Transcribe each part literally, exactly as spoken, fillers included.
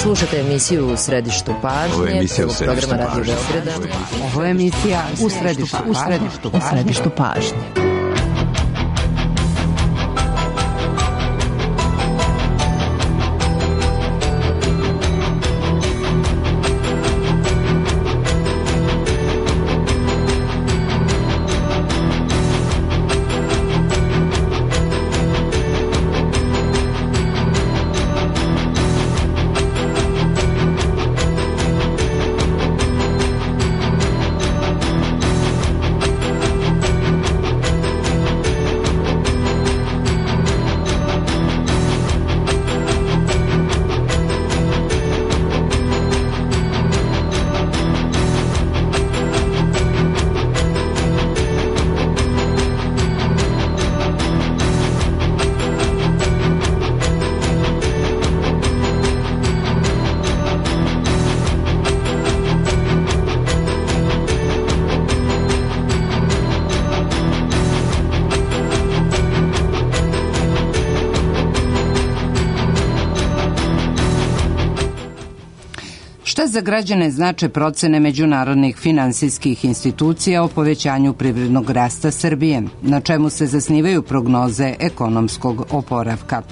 Slušajte emisiju U središtu pažnje. Ovo je emisija U središtu pažnje. Ovo je emisija U središtu, u središtu, u središtu pažnje. Šta za građane znače procene međunarodnih finansijskih institucija o povećanju privrednog rasta Srbije? Na čemu se zasnivaju prognoze ekonomskog oporavka?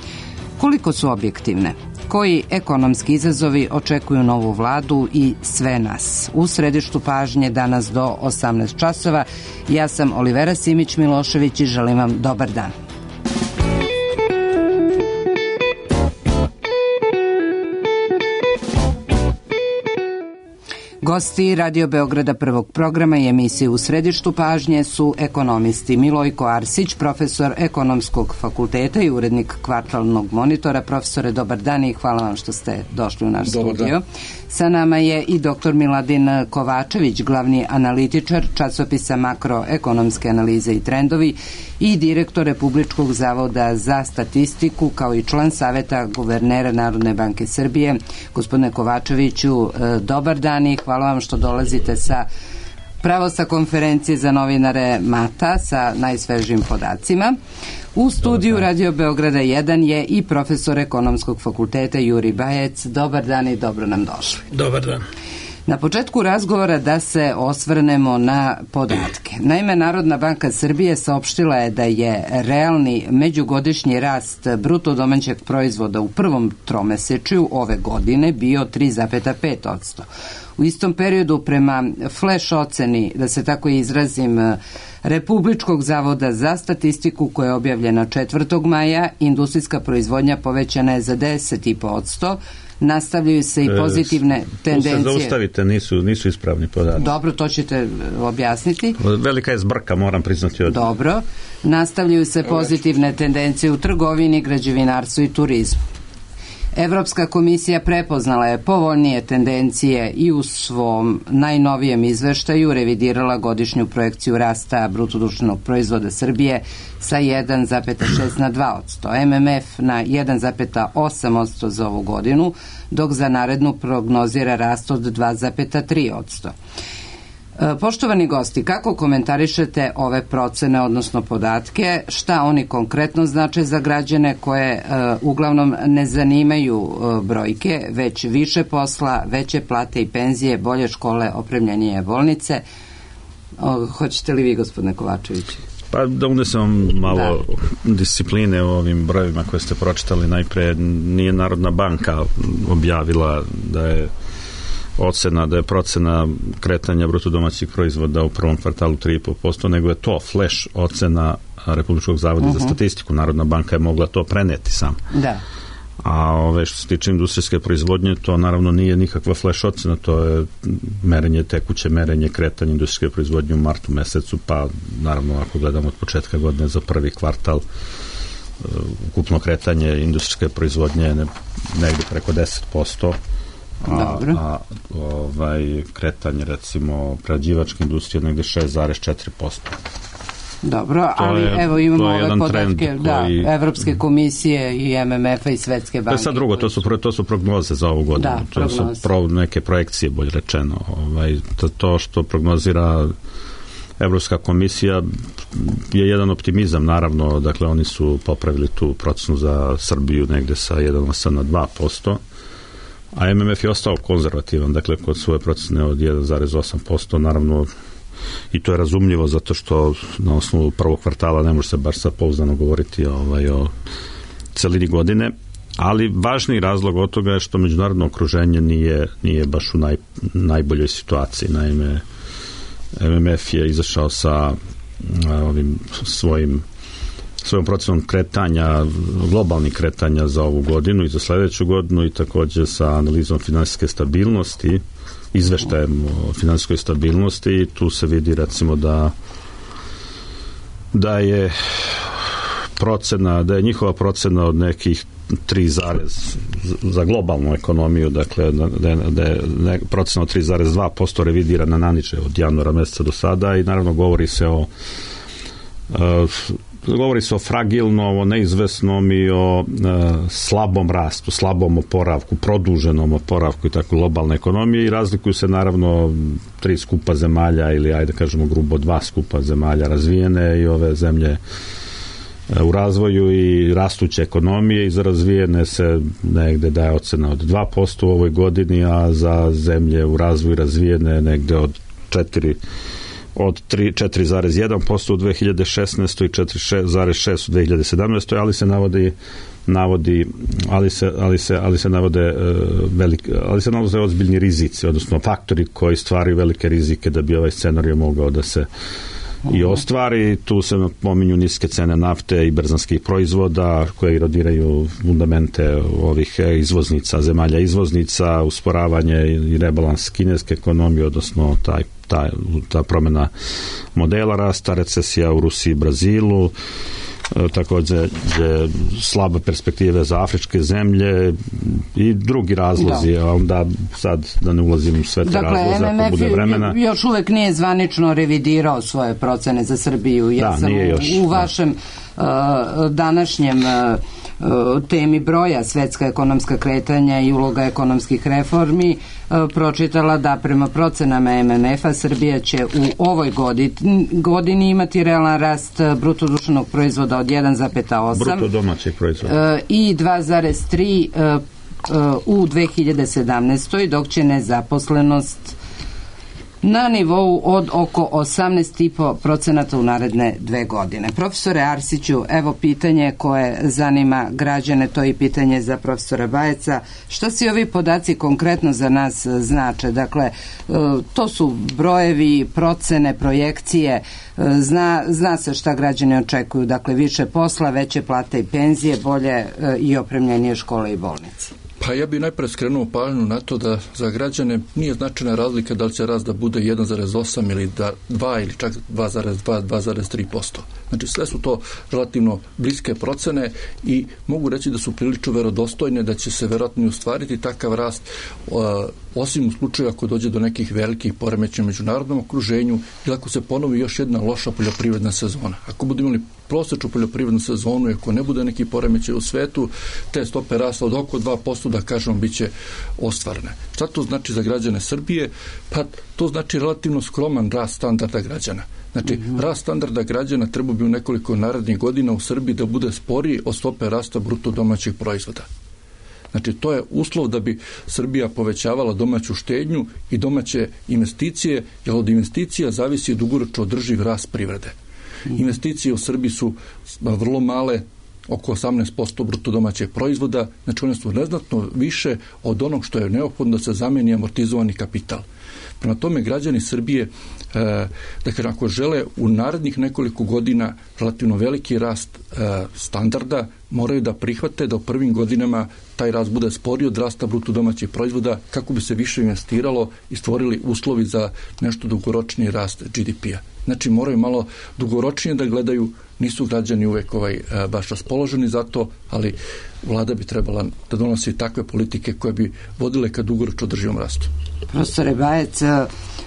Koliko su objektivne? Koji ekonomski izazovi očekuju novu vladu i sve nas? U središtu pažnje danas do osamnaest časova. Ja sam Olivera Simić-Milošević i želim vam dobar dan. Gosti Radio Beograda prvog programa i emisije U središtu pažnje su ekonomisti Milojko Arsić, profesor Ekonomskog fakulteta i urednik Kvartalnog monitora. Profesore, dobar dan i hvala vam što ste došli u naš studio. Sa nama je i doktor Miladin Kovačević, glavni analitičar časopisa Makroekonomske analize i trendovi i direktor Republičkog zavoda za statistiku, kao i član Saveta guvernera Narodne banke Srbije. Gospodine Kovačeviću, dobar dan i hvala vam što dolazite sa pravo sa konferencije za novinare Mata sa najsvežijim podacima. U studiju Radio Beograda jedan je i profesor Ekonomskog fakulteta Juri Bajec. Dobar dan i dobro nam došli. Dobar dan. Na početku razgovora da se osvrnemo na podatke. Naime, Narodna banka Srbije saopštila je da je realni međugodišnji rast bruto domaćeg proizvoda u prvom tromesečju ove godine bio tri zarez pet posto. U istom periodu prema flash oceni, da se tako izrazim, Republičkog zavoda za statistiku koja je objavljena četvrtog maja, industrijska proizvodnja povećana je za deset zarez pet posto. Nastavljaju se i pozitivne tendencije. Tu se zaustavite, nisu, nisu ispravni podaci. Dobro, to ćete objasniti. Velika je zbrka, moram priznati. Od... Dobro. Nastavljaju se pozitivne tendencije u trgovini, građevinarstvu i turizmu. Evropska komisija prepoznala je povoljnije tendencije i u svom najnovijem izveštaju revidirala godišnju projekciju rasta bruto društvenog proizvoda Srbije sa jedan zarez šest na dva posto, M M F na jedan zarez osam posto za ovu godinu, dok za narednu prognozira rast od dva zarez tri posto. Poštovani gosti, kako komentarišete ove procene, odnosno podatke, šta oni konkretno znače za građane koje uh, uglavnom ne zanimaju uh, brojke, već više posla, veće plate i penzije, bolje škole, opremljenije bolnice? Uh, hoćete li vi, gospodine Kovačević? Pa da unesem malo da. discipline u ovim brojevima koje ste pročitali. Najpre nije Narodna banka objavila da je ocena, da je procena kretanja bruto domaćih proizvoda u prvom kvartalu tri zarez pet posto, nego je to flash ocena Republičkog zavoda uh-huh. za statistiku. Narodna banka je mogla to preneti sam. Da. A ove što se tiče industrijske proizvodnje, to naravno nije nikakva flash ocena, to je merenje, tekuće merenje kretanja industrijske proizvodnje u martu mesecu, pa naravno ako gledamo od početka godine za prvi kvartal, ukupno kretanje industrijske proizvodnje je negdje preko deset posto. A, a ovaj, kretanje recimo prerađivačke industrije negdje šest zarez četiri posto. Dobro, ali je, evo imamo ove podatke koji... da, Evropske komisije i M M F-a i Svetske banke. To je sad drugo, to su, to su prognoze za ovu godinu. Da, to su pro, neke projekcije, bolje rečeno. Ovaj, to, to što prognozira Evropska komisija je jedan optimizam, naravno, dakle oni su popravili tu procenu za Srbiju negdje sa jedan zarez osam na dva posto. a M M F je ostao konzervativan, dakle kod svoje procene od jedan zarez osam posto, naravno i to je razumljivo zato što na osnovu prvog kvartala ne može se baš sad pouzdano govoriti ovaj, o celini godine, ali važniji razlog od toga je što međunarodno okruženje nije, nije baš u naj, najboljoj situaciji. Naime, M M F je izašao sa ovim svojim svojom procenom kretanja, globalnih kretanja za ovu godinu i za sledeću godinu i takođe sa analizom finansijske stabilnosti, izveštajem o finansijskoj stabilnosti i tu se vidi recimo da da je procena, da je njihova procena od nekih tri zarez za globalnu ekonomiju, dakle da je, da je procena od tri zarez dva posto revidirana na niže od januara meseca do sada i naravno govori se o uh, govori se o fragilnom, o neizvesnom i o uh, slabom rastu, slabom oporavku, produženom oporavku i tako globalne ekonomije i razlikuju se naravno tri skupa zemalja ili ajde kažemo grubo dva skupa zemalja razvijene i ove zemlje u razvoju i rastuće ekonomije i za razvijene se negde daje ocena od dva posto u ovoj godini, a za zemlje u razvoju razvijene negde od četiri od četiri zarez jedan posto u dve hiljade šesnaestoj i četiri zarez šest u dve hiljade sedamnaestoj ali se navodi navodi ali se ali se ali se navode uh, velike ali se navode ozbiljni rizici, odnosno faktori koji stvaraju velike rizike da bi ovaj scenarij mogao da se i ostvari. Tu se pominju niske cene nafte i berzanskih proizvoda koje erodiraju fundamente ovih izvoznica, zemalja izvoznica, usporavanje i rebalans kineske ekonomije, odnosno taj, taj, ta promjena modela rasta, recesija u Rusiji i Brazilu, također je slaba perspektive za afričke zemlje i drugi razlozi, da. A onda sad da ne ulazim sve te dakle, razloze ako bude vremena. Još uvek nije zvanično revidirao svoje procene za Srbiju. Ja da, sam nije još. U, u vašem uh, današnjem uh, temi broja svetska ekonomska kretanja i uloga ekonomskih reformi uh, pročitala da prema procenama M M F-a Srbija će u ovoj godini, godini imati realan rast bruto društvenog proizvoda od jedan zarez osam bruto domaćeg proizvoda uh, i dva zarez tri uh, uh, u dve hiljade sedamnaestoj dok će nezaposlenost na nivou od oko osamnaest zarez pet procenata u naredne dve godine. Profesore Arsiću, evo pitanje koje zanima građane, to je i pitanje za profesora Bajeca. Šta si ovi podaci konkretno za nas znače? Dakle, to su brojevi, procene, projekcije, zna, zna se šta građani očekuju, dakle više posla, veće plate i penzije, bolje i opremljenije škole i bolnice. Pa ja bih najpre skrenuo pažnju na to da za građane nije značajna razlika da li će rast da bude jedan zarez osam ili dva ili čak dva zarez dva, dva zarez tri posto. Znači sve su to relativno bliske procene i mogu reći da su prilično verodostojne, da će se verovatno ostvariti takav rast osim u slučaju ako dođe do nekih velikih poremećaja u međunarodnom okruženju ili ako se ponovi još jedna loša poljoprivredna sezona. Ako budemo imali prosječnu poljoprivrednu sezonu i ako ne bude neki poremećaj u svetu, te stope rasta od oko dva posto, da kažemo, bit će ostvarene. Šta to znači za građane Srbije? Pa to znači relativno skroman rast standarda građana. Znači, mm-hmm. rast standarda građana treba bi u nekoliko narednih godina u Srbiji da bude sporiji od stope rasta bruto domaćeg proizvoda. Znači, to je uslov da bi Srbija povećavala domaću štednju i domaće investicije, jer od investicija zavisi dugoročno održiv rast privrede. Mm-hmm. Investicije u Srbiji su vrlo male, oko osamnaest posto bruto domaćeg proizvoda, znači one su neznatno više od onog što je neophodno da se zameni amortizovani kapital. Prema tome, građani Srbije, e, dakle, ako žele u narednih nekoliko godina relativno veliki rast e, standarda, moraju da prihvate da u prvim godinama taj rast bude sporiji od rasta bruto domaćeg proizvoda kako bi se više investiralo i stvorili uslovi za nešto dugoročniji rast G D P-a. Znači, moraju malo dugoročnije da gledaju, nisu građani uvek ovaj, baš raspoloženi za to, ali vlada bi trebala da donosi takve politike koje bi vodile ka dugoročno održivom rastu. Profesore Bajec,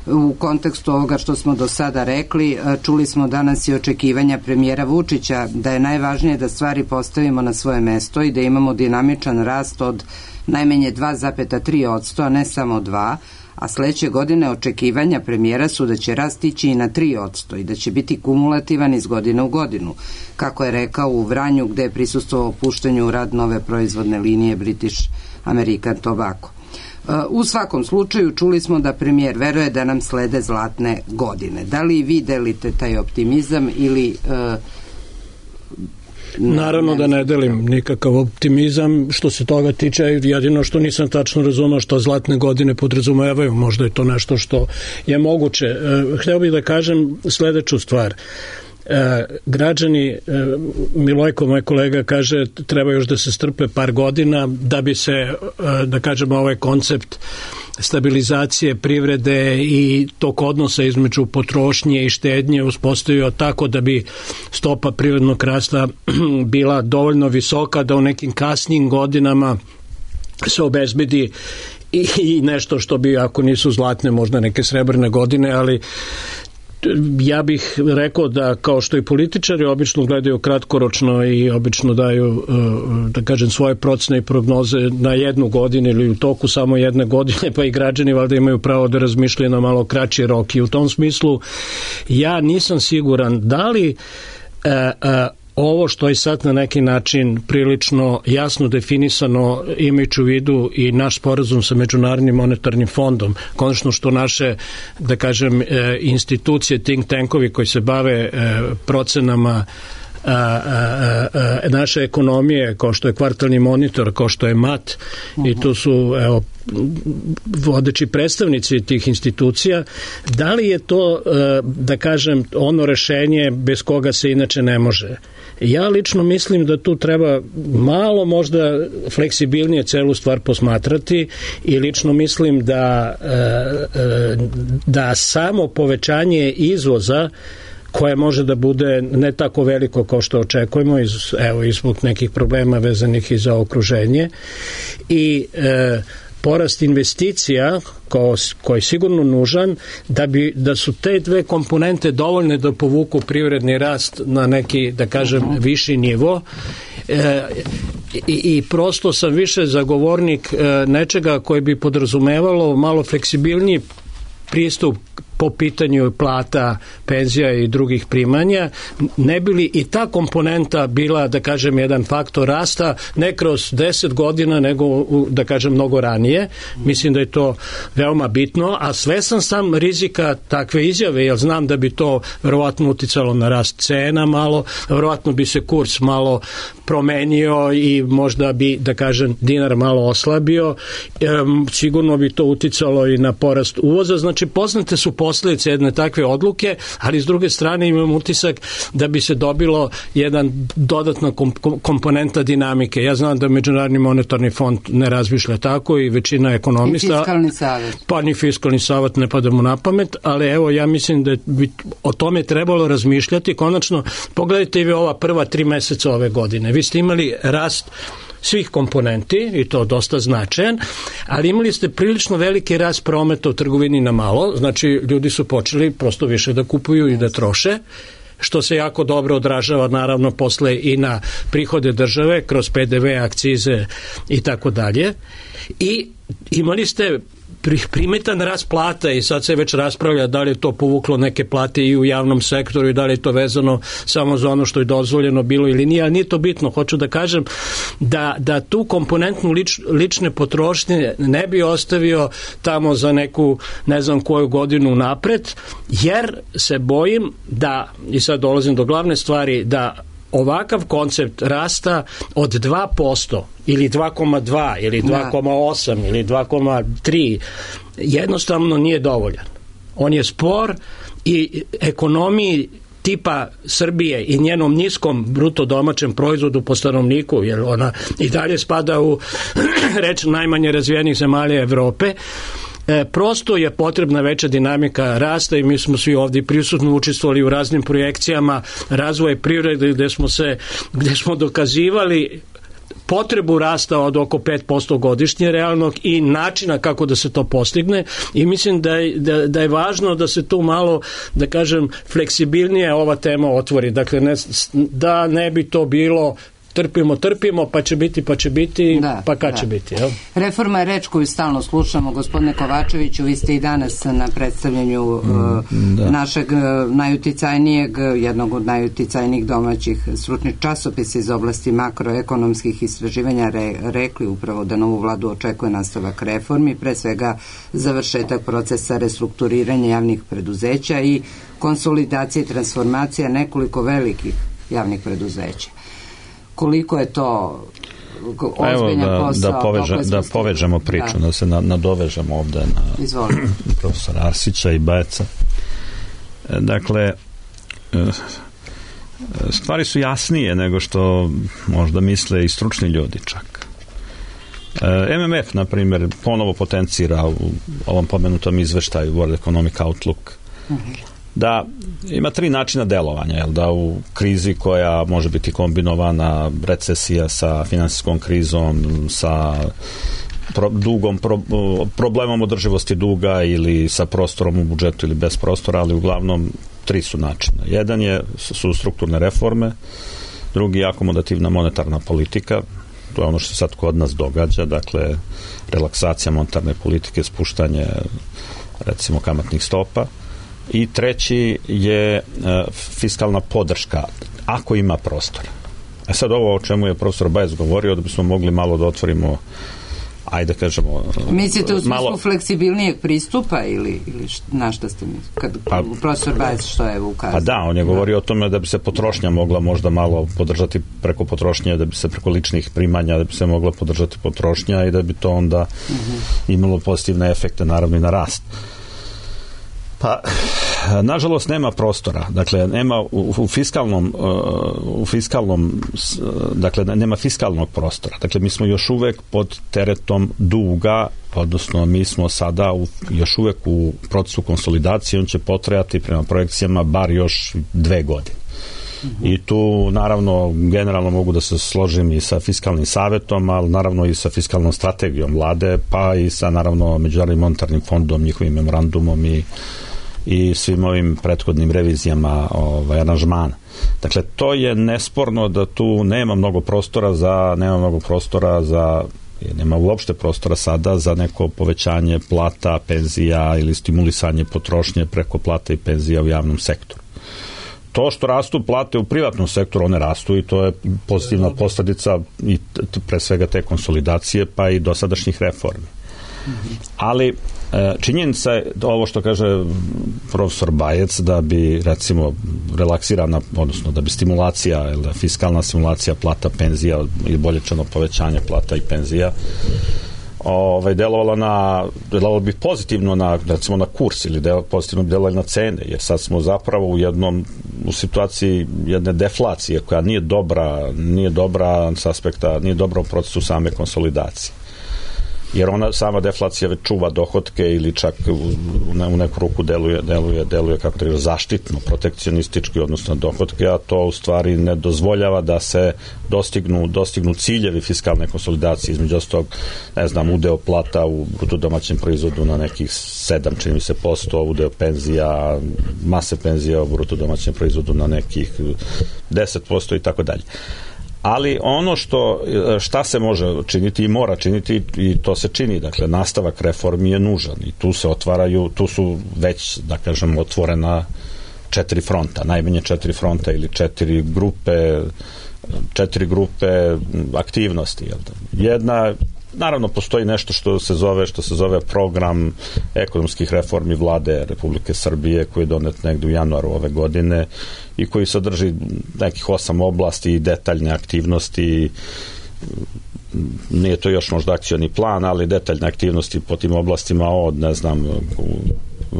u kontekstu ovoga što smo do sada rekli, čuli smo danas i očekivanja premijera Vučića da je najvažnije da stvari postavimo na svoje mesto i da imamo dinamičan rast od najmanje dva zarez tri posto, a ne samo dva, a sledeće godine očekivanja premijera su da će rast ići i na tri posto i da će biti kumulativan iz godine u godinu, kako je rekao u Vranju gde je prisustvovao puštanju u rad nove proizvodne linije British American Tobacco. U svakom slučaju čuli smo da premijer veruje da nam slede zlatne godine. Da li vi delite taj optimizam ili... Uh, Naravno da ne delim nikakav optimizam što se toga tiče, jedino što nisam tačno razumao što zlatne godine podrazumevaju, možda je to nešto što je moguće. Hteo bih da kažem sledeću stvar. E, građani, e, Milojko, moj kolega, kaže treba još da se strpe par godina da bi se, e, da kažemo, ovaj koncept stabilizacije privrede i tog odnosa između potrošnje i štednje uspostavio tako da bi stopa privrednog rasta bila dovoljno visoka da u nekim kasnijim godinama se obezbedi i, i nešto što bi, ako nisu zlatne, možda neke srebrne godine, ali ja bih rekao da kao što i političari obično gledaju kratkoročno i obično daju, da kažem, svoje procene i prognoze na jednu godinu ili u toku samo jedne godine, pa i građani valjda imaju pravo da razmišljaju na malo kraći rok. I u tom smislu ja nisam siguran da li e, e, ovo što je sad na neki način prilično jasno definisano, imajući u vidu i naš sporazum sa Međunarodnim monetarnim fondom, konačno što naše, da kažem, institucije, think tankovi koji se bave procenama A, a, a, naše ekonomije, kao što je kvartalni monitor, kao što je M A T, uh-huh. i tu su, evo, vodeći predstavnici tih institucija, da li je to, da kažem, ono rešenje bez koga se inače ne može? Ja lično mislim da tu treba malo možda fleksibilnije celu stvar posmatrati i lično mislim da, da samo povećanje izvoza koje može da bude ne tako veliko kao što očekujemo, iz, evo, izbog nekih problema vezanih i za okruženje, i e, porast investicija ko, koji je sigurno nužan da, bi, da su te dve komponente dovoljne da povuku privredni rast na neki, da kažem, viši nivo. E, i, i prosto sam više zagovornik e, nečega koje bi podrazumevalo malo fleksibilniji pristup po pitanju plata, penzija i drugih primanja, ne bi li i ta komponenta bila, da kažem, jedan faktor rasta, ne kroz deset godina, nego, da kažem, mnogo ranije. Mislim da je to veoma bitno, a svestan sam rizika takve izjave, jer znam da bi to verovatno uticalo na rast cena malo, verovatno bi se kurs malo promenio i možda bi, da kažem, dinar malo oslabio, e, sigurno bi to uticalo i na porast uvoza. Znači, poznate su posljedice jedne takve odluke, ali s druge strane imam utisak da bi se dobilo jedan dodatna komponenta dinamike. Ja znam da Međunarodni monetarni fond ne razmišlja tako i većina ekonomista... I fiskalni savjet. Pa ni fiskalni savjet ne pada mu na pamet, ali evo, ja mislim da bi o tome trebalo razmišljati. Konačno, pogledajte i vi ova prva tri meseca ove godine. Vi ste imali rast svih komponenti, i to dosta značajan, ali imali ste prilično veliki rast prometa u trgovini na malo, znači ljudi su počeli prosto više da kupuju i da troše, što se jako dobro odražava naravno posle i na prihode države kroz P D V, akcize i tako dalje. I imali ste primetan rast plata i sad se već raspravlja da li je to povuklo neke plate i u javnom sektoru i da li je to vezano samo za ono što je dozvoljeno bilo ili nije, ali nije to bitno. Hoću da kažem da, da tu komponentnu lič, lične potrošnje ne bi ostavio tamo za neku ne znam koju godinu napred, jer se bojim da, i sad dolazim do glavne stvari, da ovakav koncept rasta od dva posto ili dva zarez dva ili dva zarez osam ili dva zarez tri jednostavno nije dovoljan. On je spor i ekonomiji tipa Srbije i njenom niskom bruto domaćem proizvodu po stanovniku, jer ona i dalje spada u reč najmanje razvijenih zemalja Evrope, E, prosto je potrebna veća dinamika rasta i mi smo svi ovdje prisutno učestvovali u raznim projekcijama razvoja privrede gde smo se, gde smo dokazivali potrebu rasta od oko pet posto godišnje realnog i načina kako da se to postigne, i mislim da je, da, da je važno da se tu malo, da kažem, fleksibilnije ova tema otvori. Dakle, ne, da ne bi to bilo trpimo, trpimo, pa će biti, pa će biti, da, pa kad da. će biti. Jel? Reforma je reč koju stalno slušamo. Gospodine Kovačeviću, vi ste i danas na predstavljanju mm, uh, našeg uh, najuticajnijeg, jednog od najuticajnijih domaćih stručnih časopisa iz oblasti makroekonomskih istraživanja re, rekli upravo da novu vladu očekuje nastavak reformi, pre svega završetak procesa restrukturiranja javnih preduzeća i konsolidacije i transformacija nekoliko velikih javnih preduzeća. Koliko je to ozbiljan da, posao? Da, poveža, da povežemo priču, da, da se na, nadovežemo ovde na Izvolite. profesora Arsića i Bajeca. Dakle, stvari su jasnije nego što možda misle i stručni ljudi čak. M M F, na primjer, ponovo potencira u ovom pomenutom izveštaju World Economic Outlook uh-huh. da ima tri načina delovanja, jel, da u krizi koja može biti kombinovana, recesija sa finansijskom krizom, sa pro, dugom, pro, problemom održivosti duga ili sa prostorom u budžetu ili bez prostora, ali uglavnom tri su načina. Jedan je, su strukturne reforme, drugi je akomodativna monetarna politika, to je ono što se sad kod nas događa, dakle relaksacija monetarne politike, spuštanje recimo kamatnih stopa, i treći je e, fiskalna podrška, ako ima prostora. E sad ovo o čemu je profesor Bajec govorio, da bismo mogli malo da otvorimo, ajde kažemo... Mislite u smislu malo fleksibilnijeg pristupa ili, ili št, na šta ste mislili? Kad pa, profesor Bajec što je ukazao? Pa da, on je govorio o tome da bi se potrošnja mogla možda malo podržati preko potrošnje, da bi se preko ličnih primanja, da bi se mogla podržati potrošnja i da bi to onda uh-huh. imalo pozitivne efekte, naravno i na rast. Pa, nažalost, nema prostora. Dakle, nema u, u fiskalnom u fiskalnom dakle, nema fiskalnog prostora. Dakle, mi smo još uvek pod teretom duga, odnosno mi smo sada u, još uvek u procesu konsolidacije, on će potrajati prema projekcijama bar još dve godine. Mm-hmm. I tu, naravno, generalno mogu da se složim i sa fiskalnim savetom, ali naravno i sa fiskalnom strategijom vlade, pa i sa, naravno, Međunarodnim monetarnim fondom, njihovim memorandumom i i svim ovim prethodnim revizijama ovaj, aranžmana. Dakle, to je nesporno da tu nema mnogo prostora za, nema mnogo prostora za, nema uopšte prostora sada za neko povećanje plata, penzija ili stimulisanje potrošnje preko plata i penzija u javnom sektoru. To što rastu plate u privatnom sektoru, one rastu i to je pozitivna posledica i t- pre svega te konsolidacije, pa i dosadašnjih reformi. Ali činjenica je ovo što kaže profesor Bajec, da bi recimo relaksirana, odnosno da bi stimulacija, ili fiskalna stimulacija plata, penzija ili bolje rečeno povećanje plata i penzija ovaj, delovala na, delovalo bi pozitivno na, recimo na kurs ili del, pozitivno bi delovalo na cene, jer sad smo zapravo u jednom, u situaciji jedne deflacije koja nije dobra, nije dobra s aspekta, nije dobra u procesu same konsolidacije. Jer ona sama deflacija već čuva dohotke ili čak u, u neku ruku deluje, deluje, deluje kako treba zaštitno, protekcionistički odnosno dohotke, a to u stvari ne dozvoljava da se dostignu, dostignu ciljevi fiskalne konsolidacije, između ostalog, ne znam, udeo plata u bruto domaćem proizvodu na nekih sedam, čini mi se, posto, udeo penzija, mase penzija u bruto domaćem proizvodu na nekih deset posto i tako dalje. Ali ono što, šta se može činiti i mora činiti i to se čini, dakle nastavak reformi je nužan i tu se otvaraju, tu su već, da kažem, otvorena četiri fronta, najmanje četiri fronta ili četiri grupe četiri grupe aktivnosti. Jel da? Jedna, naravno postoji nešto što se zove što se zove program ekonomskih reformi vlade Republike Srbije koji je donet negde u januaru ove godine i koji sadrži nekih osam oblasti i detaljne aktivnosti. Nije to još možda akcioni plan, ali detaljne aktivnosti po tim oblastima od, ne znam,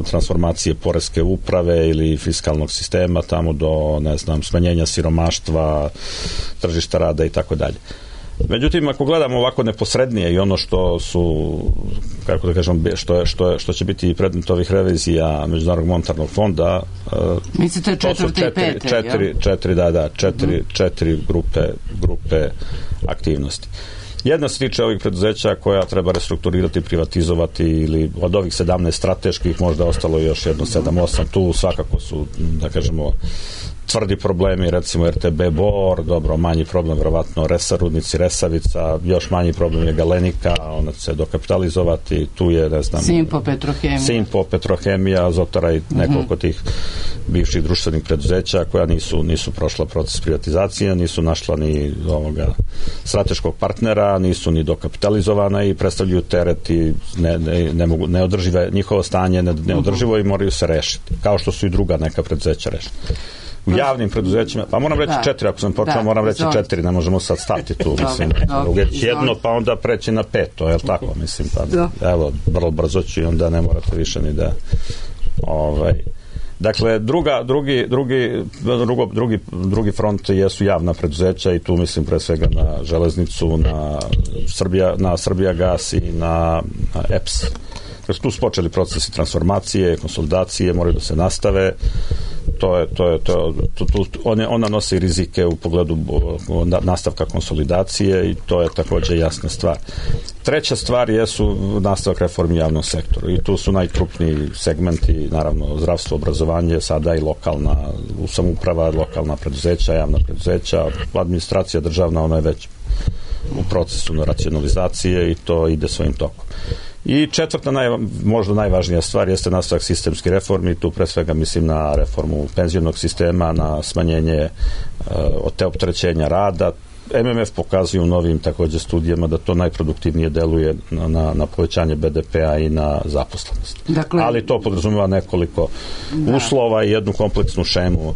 transformacije poreske uprave ili fiskalnog sistema tamo do, ne znam, smanjenja siromaštva, tržišta rada i tako dalje. Međutim, ako gledamo ovako neposrednije i ono što su, kako da kažem, što, je, što, je, što će biti predmet ovih revizija Međunarodnog monetarnog fonda, mislite četvrte i pete, četiri, četiri, da, da, četiri, uh-huh. četiri grupe, grupe aktivnosti. Jedna se tiče ovih preduzeća koja treba restrukturirati, privatizovati ili od ovih sedamnaest strateških možda ostalo još jedno sedam osam, tu svakako su, da kažemo, tvrdi problemi, recimo R T B Bor, dobro, manji problem vjerovatno Resa Rudnici, Resavica, još manji problem je Galenika, ona će se dokapitalizovati, tu je, ne znam, Simpo Petrohemija, Simpo Petrohemija, Azotara i nekoliko mm-hmm. tih bivših društvenih preduzeća koja nisu, nisu prošla proces privatizacije, nisu našla ni ovoga strateškog partnera, nisu ni dokapitalizovana i predstavljaju teret i ne, ne, ne mogu, neodržive, njihovo stanje ne, neodrživo i moraju se rešiti, kao što su i druga neka preduzeća rešiti. U javnim preduzećima, pa moram reći da. četiri, ako sam počeo, da, moram reći zon. četiri, ne možemo sad stati tu, mislim, uvijek jedno, pa onda preći na peto, je li tako, mislim, pa da. Evo, vrlo brzo ću i onda ne morate više ni da, ovaj, dakle, druga, drugi, drugi, drugo, drugi, drugi front jesu javna preduzeća i tu mislim pre svega na železnicu, na Srbija, na Srbijagas i na, na E P S. Dakle, tu su počeli procesi transformacije, konsolidacije, moraju da se nastave. To je, to je, to, to, to, one, ona nosi rizike u pogledu nastavka konsolidacije i to je također jasna stvar. Treća stvar jesu nastavak reformi javnog sektora i tu su najkrupniji segmenti, naravno zdravstvo, obrazovanje, sada i lokalna samouprava, lokalna preduzeća, javna preduzeća, administracija državna, ona je već u procesu racionalizacije i to ide svojim tokom. I četvrta, naj, možda najvažnija stvar jeste nastavak sistemskih reformi, tu pre svega mislim na reformu penzionog sistema, na smanjenje uh, te opterećenja rada. M M F pokazuju u novim također studijama da to najproduktivnije deluje na, na, na povećanje B D P-a i na zaposlenost. Dakle, ali to podrazumeva nekoliko da. uslova i jednu kompleksnu šemu uh,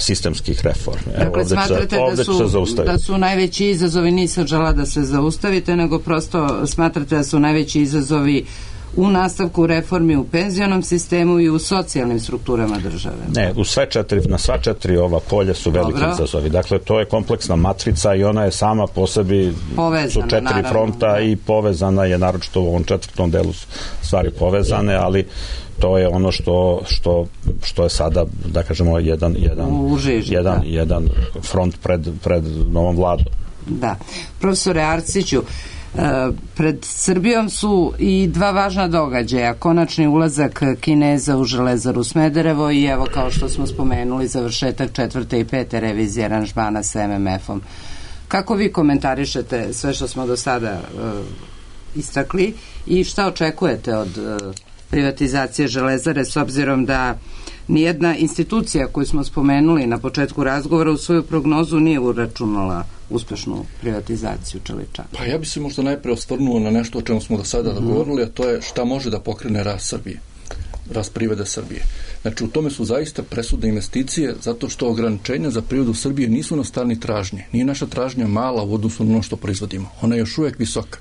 sistemskih reformi. Dakle, Evo, ovdje smatrate će, ovdje da, su, da su najveći izazovi, nisam žela da se zaustavite, nego prosto smatrate da su najveći izazovi u nastavku reformi u penzionom sistemu i u socijalnim strukturama države. Ne, u sve četiri, na sva četiri ova polja su veliki Dobro. izazovi. Dakle, to je kompleksna matrica i ona je sama po sebi povezana, su četiri naravno, fronta da. i povezana je, naročito u ovom četvrtom delu stvari povezane, ali to je ono što, što, što je sada, da kažemo, jedan, jedan, žiži, jedan, da. jedan front pred, pred novom vladom. Da. Profesore Arsiću, pred Srbijom su i dva važna događaja, konačni ulazak Kineza u Železaru Smederevo i evo, kao što smo spomenuli, završetak četvrte i pete revizije aranžmana sa M M F-om. Kako vi komentarišete sve što smo do sada uh, istakli i šta očekujete od uh, privatizacije Železare, s obzirom da nijedna institucija koju smo spomenuli na početku razgovora u svoju prognozu nije uračunala uspešnu privatizaciju Čeličana? Pa ja bi se možda najpre osvrnuo na nešto o čemu smo do sada mm-hmm. govorili, a to je šta može da pokrene rast Srbije, rast privrede Srbije. Znači, u tome su zaista presudne investicije, zato što ograničenja za privredu Srbije nisu na strani tražnje. Nije naša tražnja mala u odnosu na ono što proizvodimo. Ona je još uvijek visoka.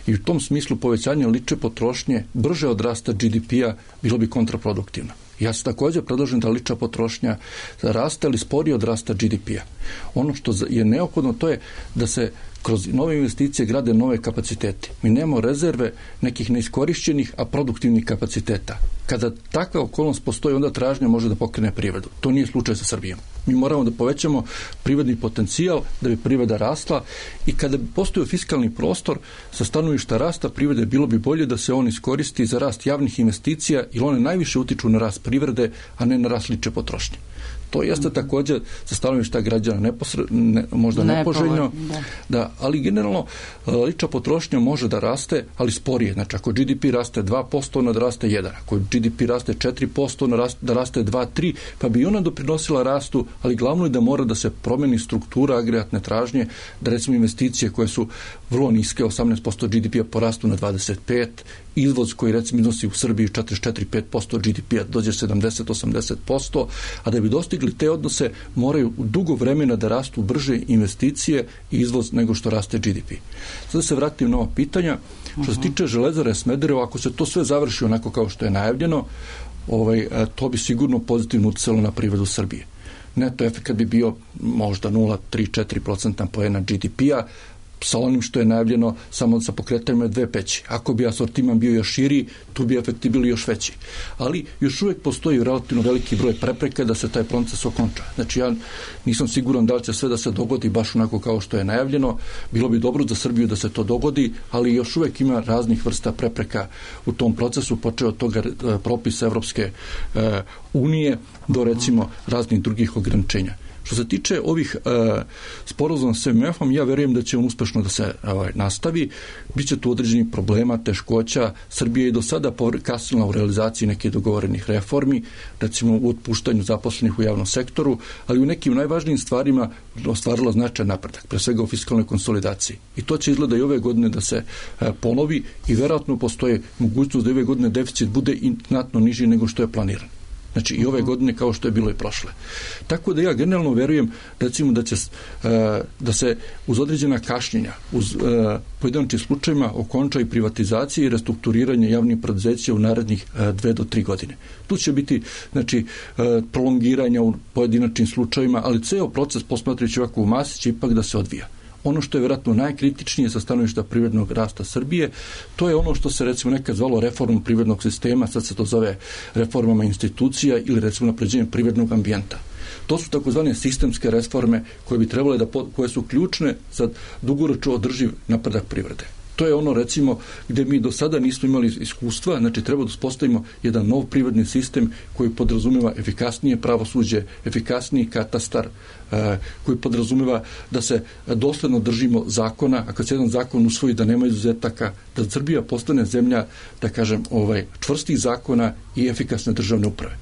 I u tom smislu povećanje lične potrošnje brže od rasta G D P-a bilo bi kontraproduktivno. Ja se također predlažem da lična potrošnja raste ili sporije od rasta G D P-a. Ono što je neophodno to je da se kroz nove investicije grade nove kapacitete. Mi nemamo rezerve nekih neiskorišćenih, a produktivnih kapaciteta. Kada takva okolnost postoji, onda tražnja može da pokrene privredu. To nije slučaj sa Srbijom. Mi moramo da povećamo privredni potencijal da bi privreda rasla i kada bi postojao fiskalni prostor sa stanovišta rasta privrede, bilo bi bolje da se on iskoristi za rast javnih investicija, jer one najviše utiču na rast privrede, a ne na rast lične potrošnje. To jeste također sa stanovišta građana neposre, ne, možda ne nepoželjno, da. Da, ali generalno lična potrošnja može da raste, ali sporije. Znači, ako G D P raste dva posto, ona da raste jedan. Ako G D P raste četiri posto, ona da raste dva do tri, pa bi ona doprinosila rastu, ali glavno je da mora da se promeni struktura agregatne tražnje, da recimo investicije koje su vrlo niske, osamnaest posto G D P-a porastu na dvadeset pet, izvoz koji recimo iznosi u Srbiji četrdeset četiri do pet posto G D P-a dođe sedamdeset do osamdeset posto, a da bi dostigli te odnose moraju u dugo vremena da rastu brže investicije i izvoz nego što raste G D P. Sada se vratim na ova pitanja. Što se tiče Železare Smederevo, ako se to sve završi onako kao što je najavljeno, ovaj, to bi sigurno pozitivno uticalo na privredu Srbije. Neto efekat bi bio možda nula zarez tri do četiri procenta poena G D P-a, sa onim što je najavljeno samo sa pokretanjima dve peći. Ako bi asortiman bio još širi, tu bi efekti bili još veći. Ali još uvijek postoji relativno veliki broj prepreka da se taj proces okonča. Znači ja nisam siguran da li će sve da se dogodi baš onako kao što je najavljeno. Bilo bi dobro za Srbiju da se to dogodi, ali još uvijek ima raznih vrsta prepreka u tom procesu, počeo od toga propisa Evropske e, unije do recimo raznih drugih ograničenja. Što se tiče ovih e, sporazuma s M F-om, ja verujem da će on uspešno da se ovaj, nastavi. Biće tu određenih problema, teškoća. Srbija je do sada kasnila u realizaciji nekih dogovorenih reformi, recimo u otpuštanju zaposlenih u javnom sektoru, ali u nekim najvažnijim stvarima ostvarila značajan napredak, pre svega u fiskalnoj konsolidaciji. I to će izgleda i ove godine da se e, ponovi i verovatno postoje mogućnost da ove godine deficit bude i znatno niži nego što je planiran. Znači i ove godine kao što je bilo i prošle. Tako da ja generalno verujem recimo da će da se uz određena kašnjenja, uz pojedinačnim slučajevima okonča i privatizacija i restrukturiranje javnih preduzeća u narednih dve do tri godine. Tu će biti znači prolongiranja u pojedinačnim slučajevima, ali ceo proces posmatrajući ovako u masi će ipak da se odvija. Ono što je vjerojatno najkritičnije sa stanovišta privrednog rasta Srbije, to je ono što se recimo nekad zvalo reformom privrednog sistema, sad se to zove reformama institucija ili recimo napređenjem privrednog ambijenta. To su takozvane sistemske reforme koje bi trebale da, koje su ključne za dugoročno održiv napredak privrede. To je ono recimo gdje mi do sada nismo imali iskustva, znači treba da uspostavimo jedan nov privredni sistem koji podrazumeva efikasnije pravosuđe, efikasniji katastar, eh, koji podrazumeva da se dosledno držimo zakona, a kad se jedan zakon usvoji da nema izuzetaka, da Srbija postane zemlja, da kažem, ovaj, čvrstih zakona i efikasne državne uprave.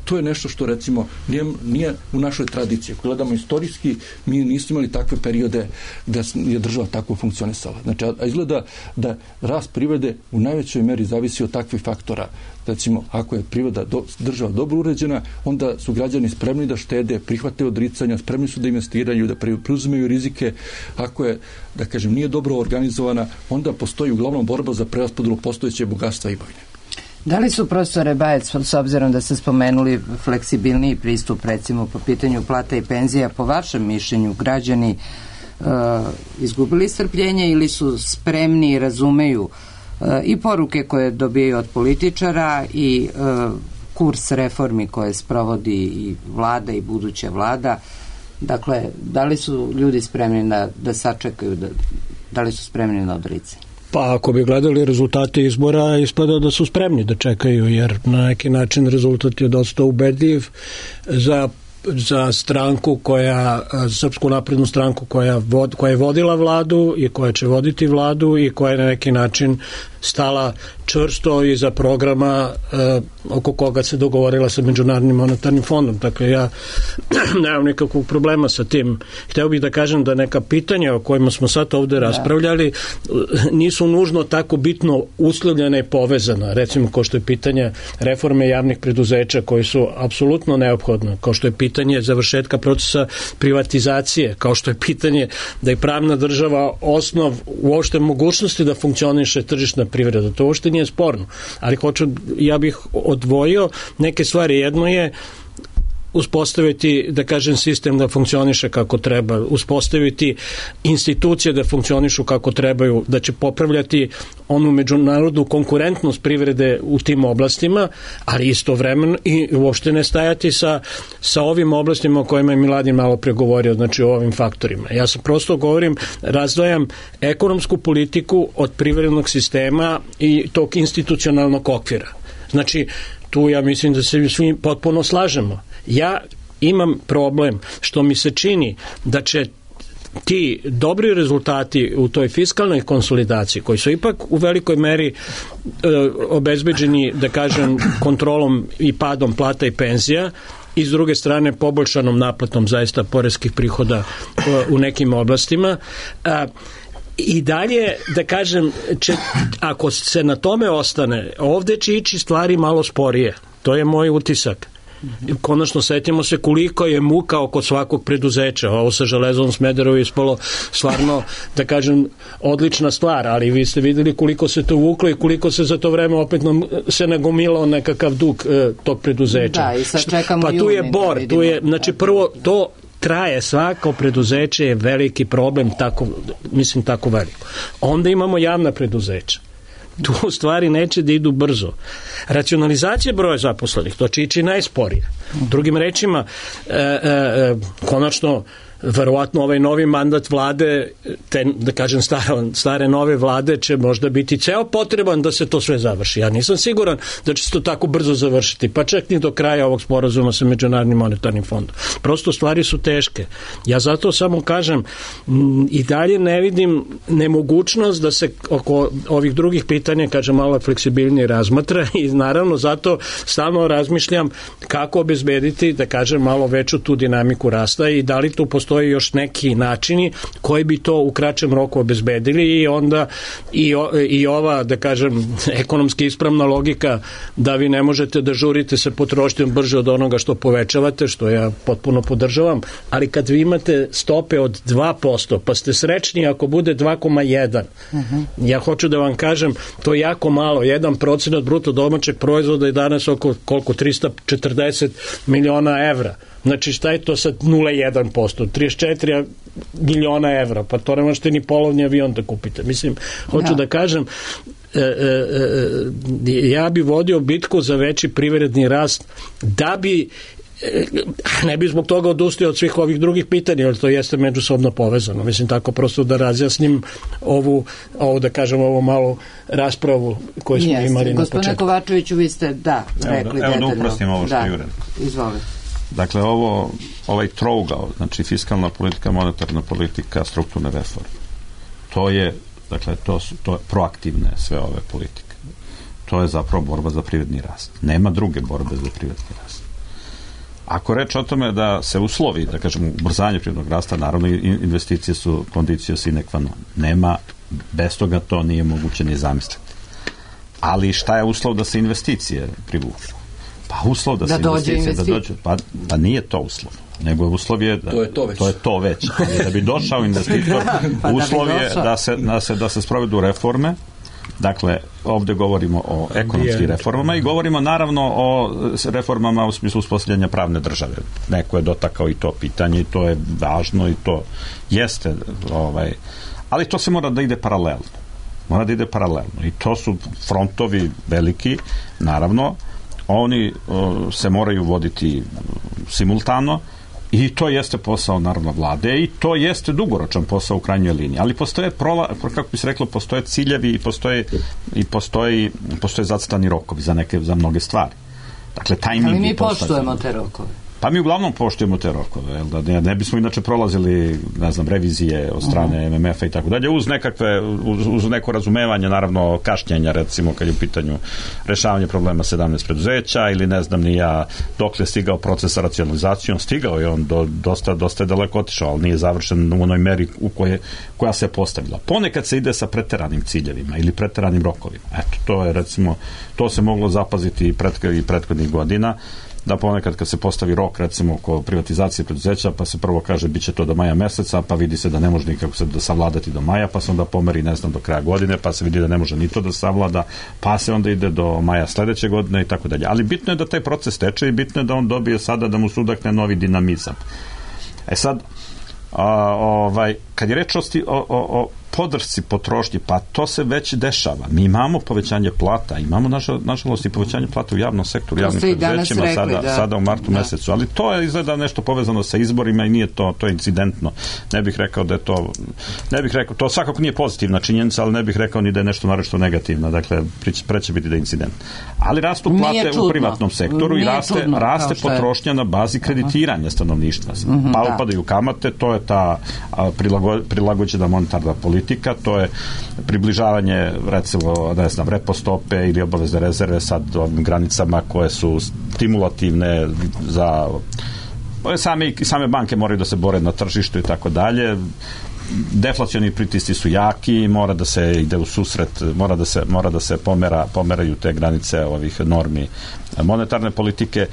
To je nešto što recimo nije, nije u našoj tradiciji. Ako gledamo istorijski, mi nismo imali takve periode gdje je država tako funkcionisala. Znači, a izgleda da rast privrede u najvećoj meri zavisi od takvih faktora. Recimo, ako je privreda do, država dobro uređena, onda su građani spremni da štede, prihvate odricanja, spremni su da investiraju, da preuzimaju rizike. Ako je, da kažem, nije dobro organizovana, onda postoji uglavnom borba za preraspodelu postojeće bogatstva i imovine. Da li su, profesore Bajec, s obzirom da ste spomenuli fleksibilniji pristup recimo po pitanju plata i penzija, po vašem mišljenju građani e, izgubili strpljenje ili su spremni i razumeju e, i poruke koje dobijaju od političara i e, kurs reformi koje sprovodi i vlada i buduća vlada? Dakle, da li su ljudi spremni da, da sačekaju, da, da li su spremni na odricanje? Pa ako bi gledali rezultate izbora, ispada da su spremni da čekaju, jer na neki način rezultat je dosta ubedljiv za za stranku koja, Srpsku naprednu stranku koja, vod, koja je vodila vladu i koja će voditi vladu i koja je na neki način stala čvrsto iza programa eh, oko koga se dogovorila sa Međunarodnim monetarnim fondom. Dakle, ja nemam nikakvog problema sa tim. Hteo bih da kažem da neka pitanja o kojima smo sad ovde raspravljali nisu nužno tako bitno uslovljena i povezana. Recimo, kao što je pitanje reforme javnih preduzeća koji su apsolutno neophodne, kao što je pitanje završetka procesa privatizacije, kao što je pitanje da je pravna država osnov uopšte mogućnosti da funkcioniše tržišna privreda. To uopšte nije sporno. Ali hoću, ja bih odvojio neke stvari. Jedno je uspostaviti, da kažem, sistem da funkcioniše kako treba, uspostaviti institucije da funkcionišu kako trebaju, da će popravljati onu međunarodnu konkurentnost privrede u tim oblastima, ali istovremeno i uopšte ne stajati sa, sa ovim oblastima o kojima je Miladin malo pregovorio, znači o ovim faktorima. Ja sam prosto govorim, razdvajam ekonomsku politiku od privrednog sistema i tog institucionalnog okvira. Znači, tu ja mislim da se svi potpuno slažemo. Ja imam problem što mi se čini da će ti dobri rezultati u toj fiskalnoj konsolidaciji, koji su ipak u velikoj meri e, obezbeđeni, da kažem, kontrolom i padom plata i penzija, i s druge strane poboljšanom naplatom zaista poreskih prihoda e, u nekim oblastima, a, i dalje, da kažem, će, ako se na tome ostane, ovde će ići stvari malo sporije. To je moj utisak. Konačno setimo se koliko je muka oko svakog preduzeća. Ovo sa Železom Smederevo je ispalo stvarno, da kažem, odlična stvar, ali vi ste videli koliko se to vuklo i koliko se za to vreme opet nam se nagomilao nekakav dug e, tog preduzeća. Da, i sad čekamo pa tu je bor, tu je, znači prvo to traje, svako preduzeće je veliki problem, tako, mislim tako veliko. Onda imamo javna preduzeća. Tu u stvari neće da idu brzo. Racionalizacija broja zaposlenih, to će ići najsporije. Drugim rečima, e, e, konačno, verovatno ovaj novi mandat vlade, te, da kažem stare, stare nove vlade će možda biti ceo potreban da se to sve završi. Ja nisam siguran da će se to tako brzo završiti, pa čak ni do kraja ovog sporazuma sa Međunarodnim monetarnim fondom. Prosto stvari su teške. Ja zato samo kažem, m, i dalje ne vidim nemogućnost da se oko ovih drugih pitanja, kažem, malo fleksibilnije razmatra i naravno zato stalno razmišljam kako obezbediti, da kažem, malo veću tu dinamiku rasta i da li tu postoji još neki načini koji bi to u kraćem roku obezbedili i onda i, o, i ova, da kažem, ekonomski ispravna logika da vi ne možete da žurite sa potrošnjom brže od onoga što povećavate, što ja potpuno podržavam, ali kad vi imate stope od dva posto, pa ste srećni ako bude dva zarez jedan. Uh-huh. Ja hoću da vam kažem, to je jako malo, jedan procenat bruto domaćeg proizvoda je danas oko koliko trista četrdeset miliona evra. Znači šta je to sad nula zarez jedan posto, trideset četiri miliona evra, pa to ne možete ni polovni avion da kupite. Mislim, hoću ja. da kažem, e, e, e, ja bi vodio bitku za veći privredni rast da bi ne bi zbog toga odustio od svih ovih drugih pitanja, jer to jeste međusobno povezano. Mislim, tako prosto da razjasnim ovu, ovu da kažem, ovu malu raspravu koju smo jeste. imali na početku. Gospodine Kovačeviću, vi ste, da, rekli evo, detaljno. Evo da uprostim ovo što da. je Jure. Izvolite. Dakle, ovo, ovaj trougao, znači fiskalna politika, monetarna politika, strukturne reforme, to je, dakle, to su to je proaktivne sve ove politike. To je zapravo borba za privredni rast. Nema druge borbe za privredni rast. Ako reč o tome da se uslovi, da kažemo, ubrzanje privrednog rasta, naravno investicije su condicio sine qua non. Nema, bez toga to nije moguće ni zamisliti. Ali šta je uslov da se investicije privuku? Pa uslov da, da se investicije da dođe, pa, pa nije to uslov, nego uslov je da, to je to već, to je to već. Da bi došao investitor, pa uslov da je da se, da se da se sprovedu reforme. Dakle, ovdje govorimo o ekonomskim reformama i govorimo naravno o reformama u smislu uspostavljanja pravne države. Neko je dotakao i to pitanje i to je važno i to jeste, ovaj, ali to se mora da ide paralelno. Mora da ide paralelno i to su frontovi veliki, naravno, oni o, se moraju voditi simultano i to jeste posao naravno vlade i to jeste dugoročan posao u krajnjoj liniji, ali postoje prola, kako bi se reklo, postoje ciljevi i postoje i postoji, postoje zacrtani rokovi za neke, za mnoge stvari. Dakle, tajming. Ali mi poštujemo te rokove. Pa mi uglavnom poštujemo te rokove, jel da ne, ne bismo inače prolazili, ne znam, revizije od strane uh-huh. M M F-a i tako dalje, uz nekakve, uz, uz neko razumevanje, naravno, kašnjenja, recimo, kad je u pitanju rešavanje problema sedamnaest preduzeća ili ne znam ni ja dokle je stigao proces sa racionalizacijom, stigao je on do, dosta, dosta je daleko otišao, ali nije završen u onoj meri u koje, koja se postavila. Ponekad se ide sa preteranim ciljevima ili preteranim rokovima. Eto, to je, recimo, to se moglo zapaziti i, pret, i prethodnih godina, da ponekad kad se postavi rok, recimo oko privatizacije preduzeća, pa se prvo kaže bit će to do maja meseca, pa vidi se da ne može nikako se da savladati do maja, pa se onda pomeri, ne znam, do kraja godine, pa se vidi da ne može ni to da savlada, pa se onda ide do maja sledeće godine i tako dalje. Ali bitno je da taj proces teče i bitno je da on dobije sada da mu sudakne novi dinamizam. E sad, a, ovaj, kad je reč o, o, o podršci potrošnje, pa to se već dešava. Mi imamo povećanje plata, imamo naša, nažalost i povećanje plata u javnom sektoru, javnim preduzećima sada, da. sada u martu da. mesecu, ali to je izgleda nešto povezano sa izborima i nije to, to je incidentno. Ne bih rekao da je to, ne bih rekao, to svakako nije pozitivna činjenica, ali ne bih rekao ni da je nešto naročito negativno, dakle, preće biti da je incident. Ali rastu plate u privatnom sektoru nije i raste, čudno, raste potrošnja na bazi kreditiranja stanovništva. Uh-huh, pa da. Upadaju kamate, to je ta prilago, prilagođena monetarna politika, to je približavanje, recimo, ne znam, repo stope ili obavezne rezerve sad ovim granicama koje su stimulativne za same, same banke moraju da se bore na tržištu i tako dalje. Deflacioni pritisci su jaki, mora da se ide u susret, mora da se, mora da se pomera, pomeraju te granice ovih normi monetarne politike.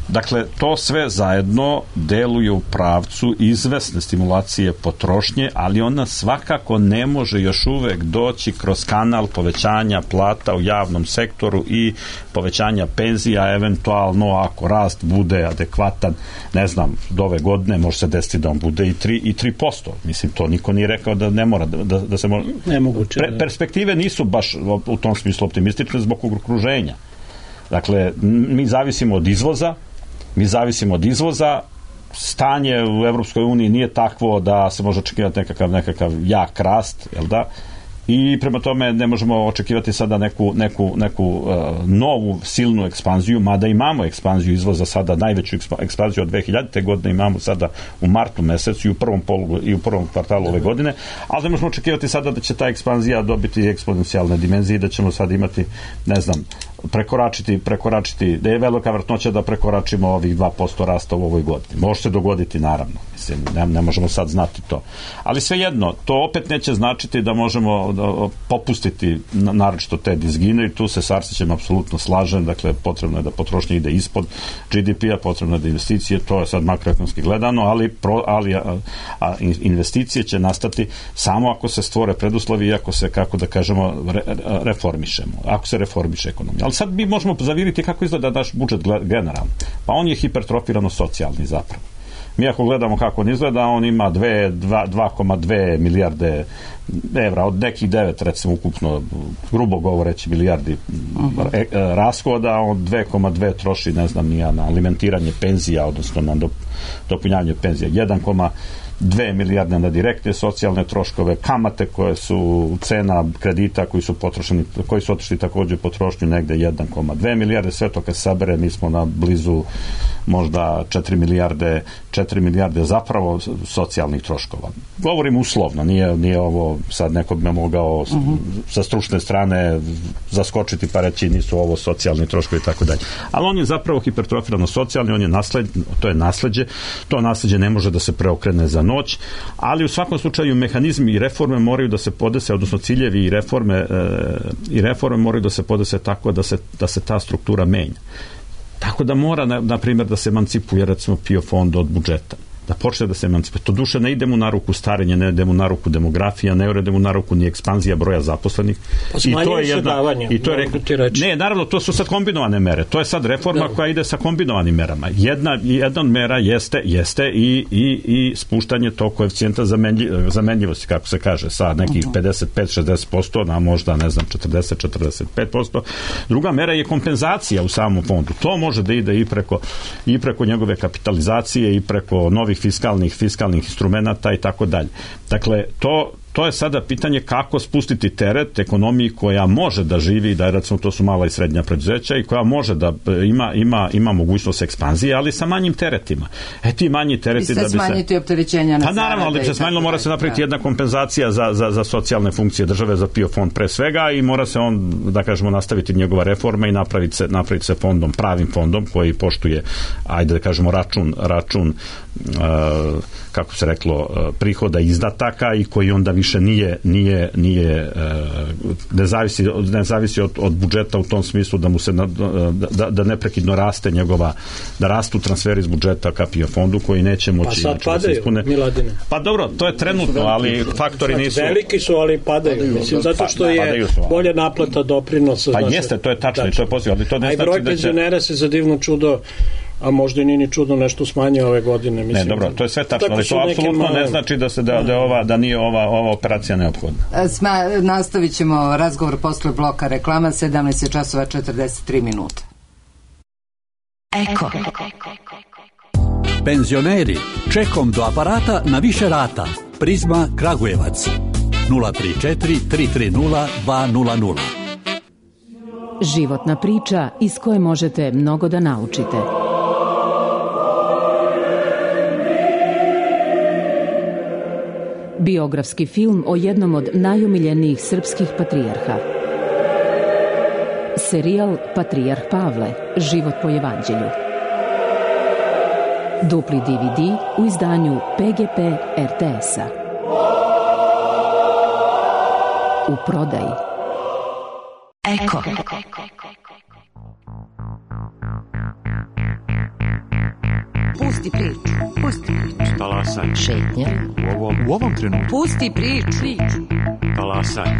Dakle, to sve zajedno deluje u pravcu izvesne stimulacije potrošnje, ali ona svakako ne može još uvek doći kroz kanal povećanja plata u javnom sektoru i povećanja penzija, eventualno ako rast bude adekvatan, ne znam, do ove godine može se desiti da on bude i tri i tri posto. Mislim, to niko nije rekao da ne mora, da, da se može... Nemoguće. Pre, perspektive nisu baš u tom smislu optimistične zbog okruženja. Dakle, mi zavisimo od izvoza, mi zavisimo od izvoza, stanje u Evropskoj uniji nije takvo da se može očekivati nekakav, nekakav jak rast, jel da? I prema tome ne možemo očekivati sada neku, neku, neku uh, novu silnu ekspanziju, mada imamo ekspanziju izvoza sada, najveću ekspanziju od dve hiljadite godine imamo sada u martu mesecu i u prvom polugu i u prvom kvartalu ove godine, ali ne možemo očekivati sada da će ta ekspanzija dobiti eksponencijalne dimenzije i da ćemo sad imati, ne znam, prekoračiti, prekoračiti, da je velika vjerojatnoća da prekoračimo ovih dva posto rasta u ovoj godini. Može se dogoditi, naravno. Mislim, ne, ne možemo sad znati to. Ali svejedno, to opet neće značiti da možemo da popustiti naročito te dizgine i tu se s Arsićem apsolutno slažem. Dakle, potrebno je da potrošnja ide ispod G D P-a, potrebno je da investicije, to je sad makroekonomski gledano, ali, pro, ali a, a investicije će nastati samo ako se stvore preduslovi i ako se, kako da kažemo, re, reformišemo. Ako se reformiše ekonomija. Ali sad mi možemo zaviriti kako izgleda naš budžet generalno. Pa on je hipertrofirano socijalni zapravo. Mi ako gledamo kako on izgleda, on ima dva zarez dve milijarde evra, od nekih devet, recimo ukupno, grubo govoreći, milijardi uh-huh. e, e, rashoda, on dve zarez dve troši, ne znam, nija na alimentiranje penzija, odnosno na dop, dopunjavanje penzija. jedan zarez dve milijarde na direktne socijalne troškove, kamate koje su cena kredita koji su potrošeni, koji su otišli također potrošnju negde jedan zarez dve milijarde, sve to kad sabere mi smo na blizu možda četiri milijarde, četiri milijarde zapravo socijalnih troškova. Govorim uslovno, nije, nije ovo sad neko bi me mogao uh-huh. sa stručne strane zaskočiti pa reći nisu ovo socijalni troškovi i tako dalje. Ali on je zapravo hipertrofirano socijalni, on je nasled, to je nasleđe, to nasleđe ne može da se preokrene za noć, ali u svakom slučaju mehanizmi i reforme moraju da se podese, odnosno ciljevi i reforme e, i reforme moraju da se podese tako da se, da se ta struktura menja. Tako da mora, na, na primjer, da se emancipuje recimo P I O fond od budžeta. Da počne da se emancipuje. To duše ne ide mu na ruku starenje, ne ide mu na ruku demografija, ne ide mu na ruku ni ekspanzija broja zaposlenih. Pa I to je jedna, davanje, i to je rekao, ne, naravno, to su sad kombinovane mere. To je sad reforma da. koja ide sa kombinovanim merama. Jedna, jedna od mera jeste, jeste i, i, i spuštanje tog koeficijenta zamenlji, zamenljivosti, kako se kaže, sa nekih pedeset pet do šezdeset posto na možda, ne znam, četrdeset do četrdeset pet posto. Druga mera je kompenzacija u samom fondu. To može da ide i preko, i preko njegove kapitalizacije i preko novih fiskalnih, fiskalnih instrumenata i tako dalje. Dakle, to, to je sada pitanje kako spustiti teret ekonomiji koja može da živi, da recimo to su mala i srednja preduzeća i koja može da ima, ima, ima mogućnost ekspanzije, ali sa manjim teretima. E ti manji tereti da bi se... smanjiti opterećenja na pa naravno, ali bi se smanjilo, mora se napraviti jedna kompenzacija za, za, za socijalne funkcije države, za P I O fond pre svega i mora se on, da kažemo, nastaviti njegova reforma i napraviti se, napraviti se fondom, pravim fondom koji poštuje, ajde da kažemo, račun, račun uh, kako se reklo, uh, prihoda izdataka i koji onda više nije, nije, nije uh, ne zavisi, ne zavisi od, od budžeta u tom smislu da mu se na, da, da neprekidno raste njegova, da rastu transferi iz budžeta ka P I O fondu koji neće moći pa sad padaju, da se ispune. Miladine. Pa dobro, to je trenutno, ali faktori nisu... Veliki su, ali padaju. padaju Mislim, zato što je bolje naplata doprinosa. Pa jeste, to je tačno i to je poziv, ali to ne znači da će... A i broj penzionera se za divno čudo, a možda i nije ni čudno nešto smanjio ove godine. Mislim, ne, dobro, to je sve tačno, ali to apsolutno male... ne znači da se da, da, ova, da nije ova, ova operacija neophodna. Sma, nastavit ćemo razgovor posle bloka reklama, sedamnaest časova četrdeset tri minuta. Eko. Penzioneri, čekom do aparata na više rata. Prizma Kragujevac. nula tri četiri tri tri nula dva nula nula. Životna priča iz koje možete mnogo da naučite. Biografski film o jednom od najomiljenijih srpskih patrijarha. Serijal Patrijarh Pavle, život po evanđelju. Dupli D V D u izdanju P G P R T S-a. U prodaji. Eko. Pusti priču. Pusti priču. Talasaj. Šetnja. U ovom, u ovom trenutku. Pusti priču. Priču. Talasaj.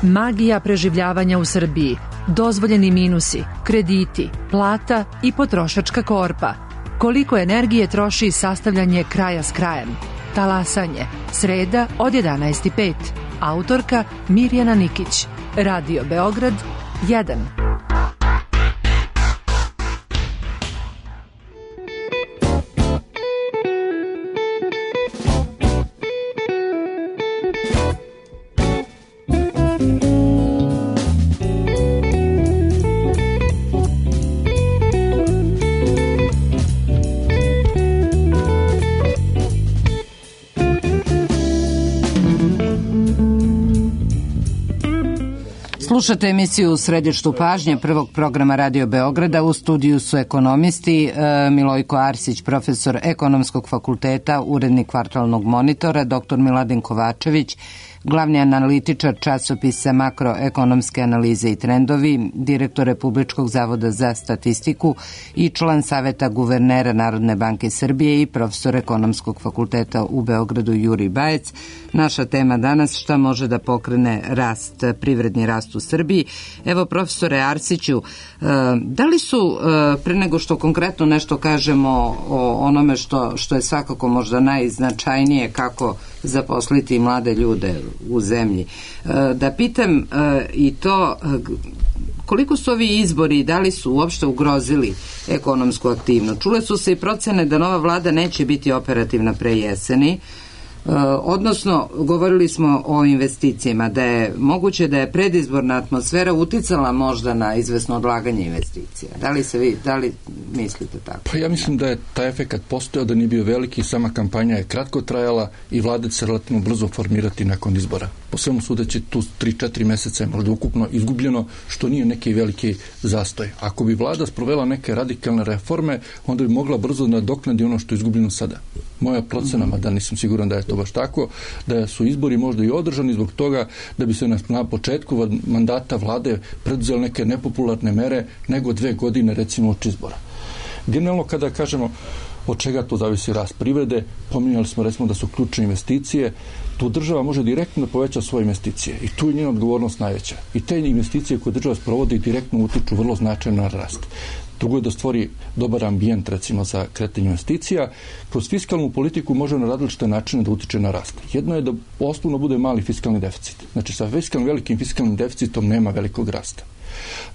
Magija preživljavanja u Srbiji, dozvoljeni minusi, krediti, plata i potrošačka korpa. Koliko energije troši sastavljanje kraja s krajem? Talasanje. Sreda od jedanaest i pet. Autorka Mirjana Nikić. Radio Beograd jedan. Slušate emisiju u središtu pažnje prvog programa Radio Beograda. U studiju su ekonomisti Milojko Arsić, profesor Ekonomskog fakulteta, urednik Kvartalnog monitora, doktor Miladin Kovačević, glavni analitičar časopisa Makroekonomske analize i trendovi, direktor Republičkog zavoda za statistiku i član Saveta guvernera Narodne banke Srbije i profesor Ekonomskog fakulteta u Beogradu Jurij Bajec. Naša tema danas: šta može da pokrene rast, privredni rast u Srbiji. Evo, profesore Arsiću, da li su, pre nego što konkretno nešto kažemo o onome što, što je svakako možda najznačajnije kako zaposliti mlade ljude u zemlji, da pitam i to koliko su ovi izbori, da li su uopšte ugrozili ekonomsku aktivnost? Čule su se i procene da nova vlada neće biti operativna pre jeseni, odnosno govorili smo o investicijama, da je moguće da je predizborna atmosfera uticala možda na izvesno odlaganje investicija. Da li se vi, da li mislite tako? Pa ja mislim da je taj efekat postojao, da nije bio veliki, sama kampanja je kratko trajala i vlada će se relativno brzo formirati nakon izbora. Po svemu sudeći tu tri četiri meseca je možda ukupno izgubljeno, što nije neki veliki zastoj. Ako bi vlada sprovela neke radikalne reforme, onda bi mogla brzo nadoknadi ono što je izgubljeno sada. Moja procena, mada nisam siguran da je to baš tako, da su izbori možda i održani zbog toga da bi se na, na početku mandata vlade preduzeli neke nepopularne mere nego dve godine recimo od izbora. Generalno kada kažemo od čega to zavisi rast privrede, pominjali smo recimo da su ključne investicije, tu država može direktno da poveća svoje investicije i tu je njena odgovornost najveća. I te investicije koje država sprovodi direktno utiču vrlo značajno na rast. Drugo je da stvori dobar ambijent recimo za kretanje investicija. Kroz fiskalnu politiku može na različite načine da utiče na rast. Jedno je da osnovno bude mali fiskalni deficit. Znači sa fiskalnim, velikim fiskalnim deficitom nema velikog rasta.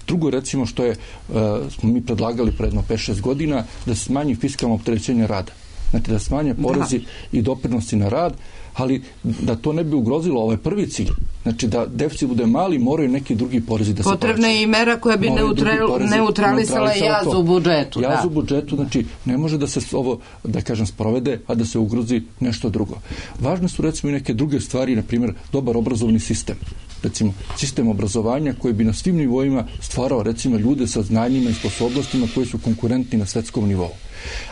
Drugo, recimo, što je, uh, smo mi predlagali pre jedno pet šest godina, da se smanji fiskalno opterećenje rada. Znači da smanje porezi da. i doprinosi na rad, ali da to ne bi ugrozilo ovaj prvi cilj. Znači da deficit bude mali, moraju neki drugi porezi da se povećaju. Potrebna je i mera koja bi neutralisala neutralisala jaz u budžetu. Jaz da. u budžetu, znači ne može da se ovo, da kažem, sprovede, a da se ugrozi nešto drugo. Važne su recimo i neke druge stvari, na primjer dobar obrazovni sistem. Recimo sistem obrazovanja koji bi na svim nivoima stvarao recimo ljude sa znanjima i sposobnostima koji su konkurentni na svetskom nivou.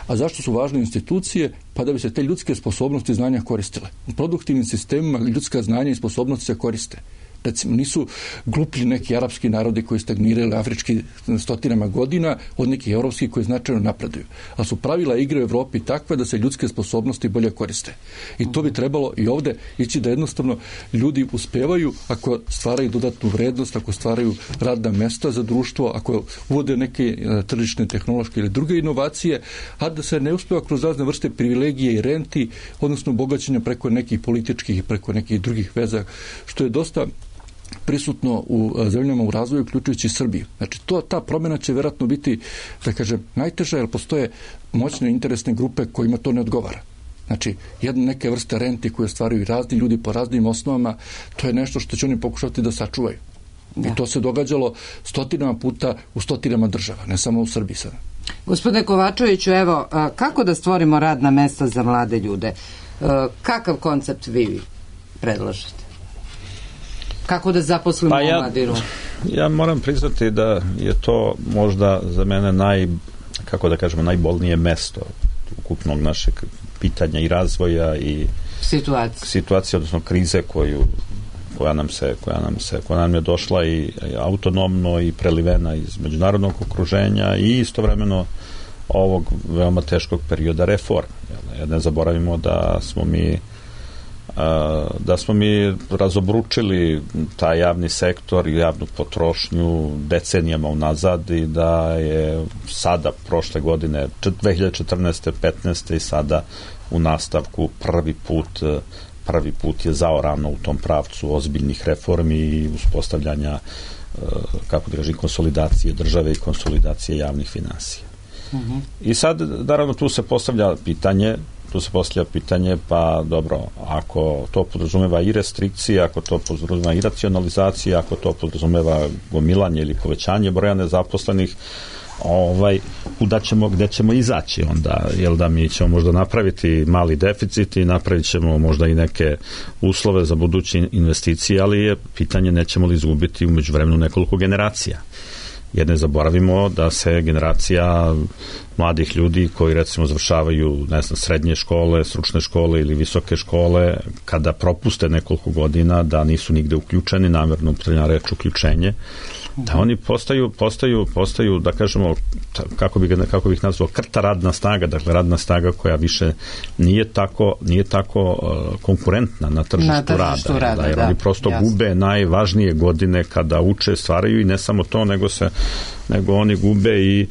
A zašto su važne institucije? Pa da bi se te ljudske sposobnosti i znanja koristile. U produktivnim sistemima ljudska znanja i sposobnosti se koriste. Recimo, nisu gluplji neki arapski narodi koji stagnirali afrički stotinama godina od nekih evropskih koji značajno napreduju. A su pravila igre u Evropi takve da se ljudske sposobnosti bolje koriste. I to bi trebalo i ovde ići da jednostavno ljudi uspevaju ako stvaraju dodatnu vrednost, ako stvaraju radna mesta za društvo, ako uvode neke tržišne, tehnološke ili druge inovacije, a da se ne uspeva kroz razne vrste privilegije i renti, odnosno bogaćenja preko nekih političkih i preko nekih drugih veza, što je dosta prisutno u zemljama u razvoju, uključujući Srbiju. Znači, to, ta promjena će vjerojatno biti, da kažem, najteža, jer postoje moćne interesne grupe kojima to ne odgovara. Znači, jedne neke vrste renti koje stvaraju razni ljudi po raznim osnovama, to je nešto što će oni pokušati da sačuvaju. Da. I to se događalo stotinama puta u stotinama država, ne samo u Srbiji sada. Gospodine Kovačeviću, evo, kako da stvorimo radna mesta za mlade ljude? Kakav koncept vi predlažete? Kako da zaposlimo pa ja, mladinu? Ja moram priznati da je to možda za mene naj, kako da kažemo, najbolnije mesto ukupnog našeg pitanja i razvoja i situacije, situacije odnosno krize koju koja nam se, koja nam se, koja nam je došla i autonomno i prelivena iz međunarodnog okruženja i istovremeno ovog veoma teškog perioda reforma. Ne zaboravimo da smo mi da smo mi razobručili taj javni sektor i javnu potrošnju decenijama unazad i da je sada, prošle godine, dve hiljade četrnaeste. petnaeste. i sada u nastavku prvi put prvi put je zaorano u tom pravcu ozbiljnih reformi i uspostavljanja, kako da kažem, konsolidacije države i konsolidacije javnih finansija. Uh-huh. I sad, naravno, tu se postavlja pitanje tu se postavlja pitanje, pa dobro, ako to podrazumeva i restrikcije, ako to podrazumeva i racionalizacija, ako to podrazumeva gomilanje ili povećanje broja nezaposlenih, ovaj, kuda ćemo, gde ćemo izaći onda, jel da mi ćemo možda napraviti mali deficit i napravit ćemo možda i neke uslove za buduće investicije, ali je pitanje nećemo li izgubiti u međuvremenu nekoliko generacija. Jer ne zaboravimo da se generacija mladih ljudi koji recimo završavaju, ne znam, srednje škole, stručne škole ili visoke škole, kada propuste nekoliko godina da nisu nigde uključeni, namjerno upotrebljena reč uključenje, da oni postaju, postaju, postaju, da kažemo, kako bih, kako bih nazvao, krta radna snaga, dakle radna snaga koja više nije tako, nije tako uh, konkurentna na tržištu, na tržištu rada, rada, jer da, oni prosto jasno. Gube najvažnije godine kada uče, stvaraju i ne samo to, nego se nego oni gube i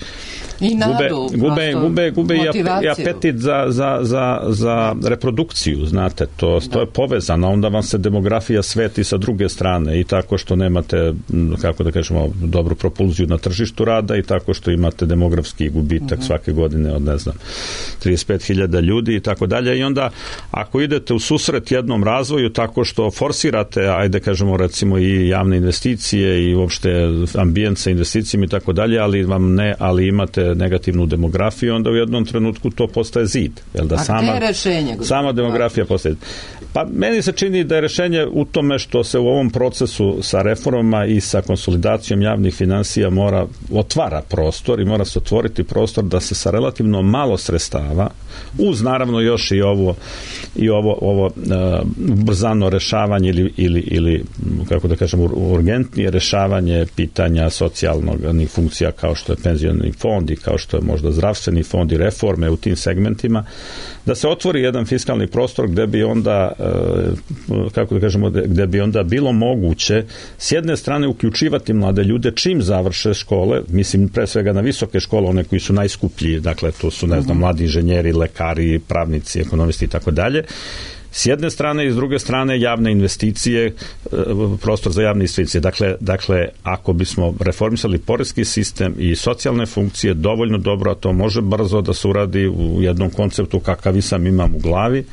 I nadu, gube, gube, gube, gube i apetit za, za, za, za reprodukciju, znate, to, to je povezano, onda vam se demografija sveti sa druge strane i tako što nemate, kako da kažemo, dobru propulziju na tržištu rada i tako što imate demografski gubitak uh-huh. svake godine od, ne znam, trideset pet hiljada ljudi i tako dalje i onda ako idete u susret jednom razvoju tako što forsirate, ajde kažemo recimo i javne investicije i uopšte ambijent sa investicijama i tako dalje, ali vam ne, ali imate negativnu demografiju, onda u jednom trenutku to postaje zid. Jel da, a sama, gde je rešenje? Sama demografija postaje. Pa meni se čini da je rešenje u tome što se u ovom procesu sa reformama i sa konsolidacijom javnih finansija mora, otvara prostor i mora se otvoriti prostor da se sa relativno malo sredstava, uz naravno još i ovo i ovo, ovo uh, brzano rešavanje ili, ili, ili kako da kažem, urgentnije rešavanje pitanja socijalnih funkcija kao što je penzioni fond i kao što je možda zdravstveni fond i reforme u tim segmentima, da se otvori jedan fiskalni prostor gde bi onda, kako da kažemo, gde bi onda bilo moguće s jedne strane uključivati mlade ljude čim završe škole, mislim pre svega na visoke škole, one koji su najskuplji, dakle to su, ne znam, mladi inženjeri, lekari, pravnici, ekonomisti i tako dalje. S jedne strane i s druge strane javne investicije, prostor za javne investicije. Dakle, dakle, ako bismo reformisali poreski sistem i socijalne funkcije dovoljno dobro, a to može brzo da se uradi u jednom konceptu kakav i sam imam u glavi,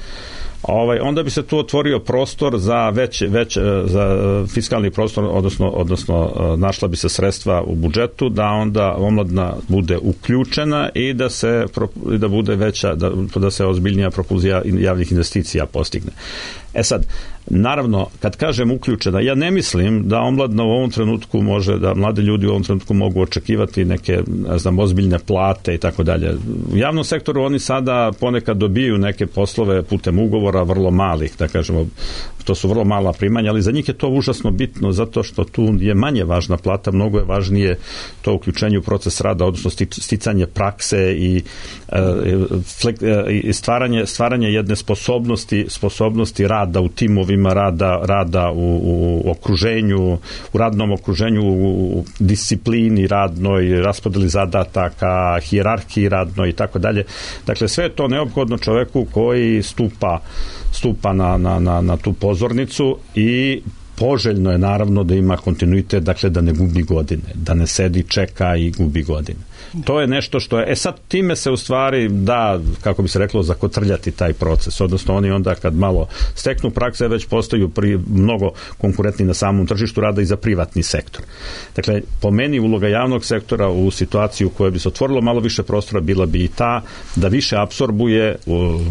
Ovaj, onda bi se tu otvorio prostor za već, već za fiskalni prostor, odnosno, odnosno našla bi se sredstva u budžetu da onda omladina bude uključena i da se da bude veća, da, da se ozbiljnija propulzija javnih investicija postigne. E sad, naravno, kad kažem uključena, ja ne mislim da omladina u ovom trenutku može, da mlade ljudi u ovom trenutku mogu očekivati neke, ne znam, ozbiljne plate i tako dalje. U javnom sektoru oni sada ponekad dobiju neke poslove putem ugovora vrlo malih, da kažemo, to su vrlo mala primanja, ali za njih je to užasno bitno zato što tu je manje važna plata, mnogo je važnije to uključenje u proces rada, odnosno sticanje prakse i, i stvaranje, stvaranje jedne sposobnosti, sposobnosti rada u timovima, rada, rada u, u okruženju, u radnom okruženju, u disciplini radnoj, raspodeli zadataka, hijerarhiji radnoj i tako dalje. Dakle, sve je to neophodno čoveku koji stupa stupa na, na, na, na tu pozornicu i poželjno je naravno da ima kontinuitet, dakle da ne gubi godine, da ne sedi, čeka i gubi godine. To je nešto što je, e sad time se u stvari da, kako bi se reklo, zakotrljati taj proces, odnosno oni onda kad malo steknu prakse već postaju pri, mnogo konkurentni na samom tržištu rada i za privatni sektor. Dakle, po meni uloga javnog sektora u situaciju u kojoj bi se otvorilo malo više prostora bila bi i ta da više apsorbuje,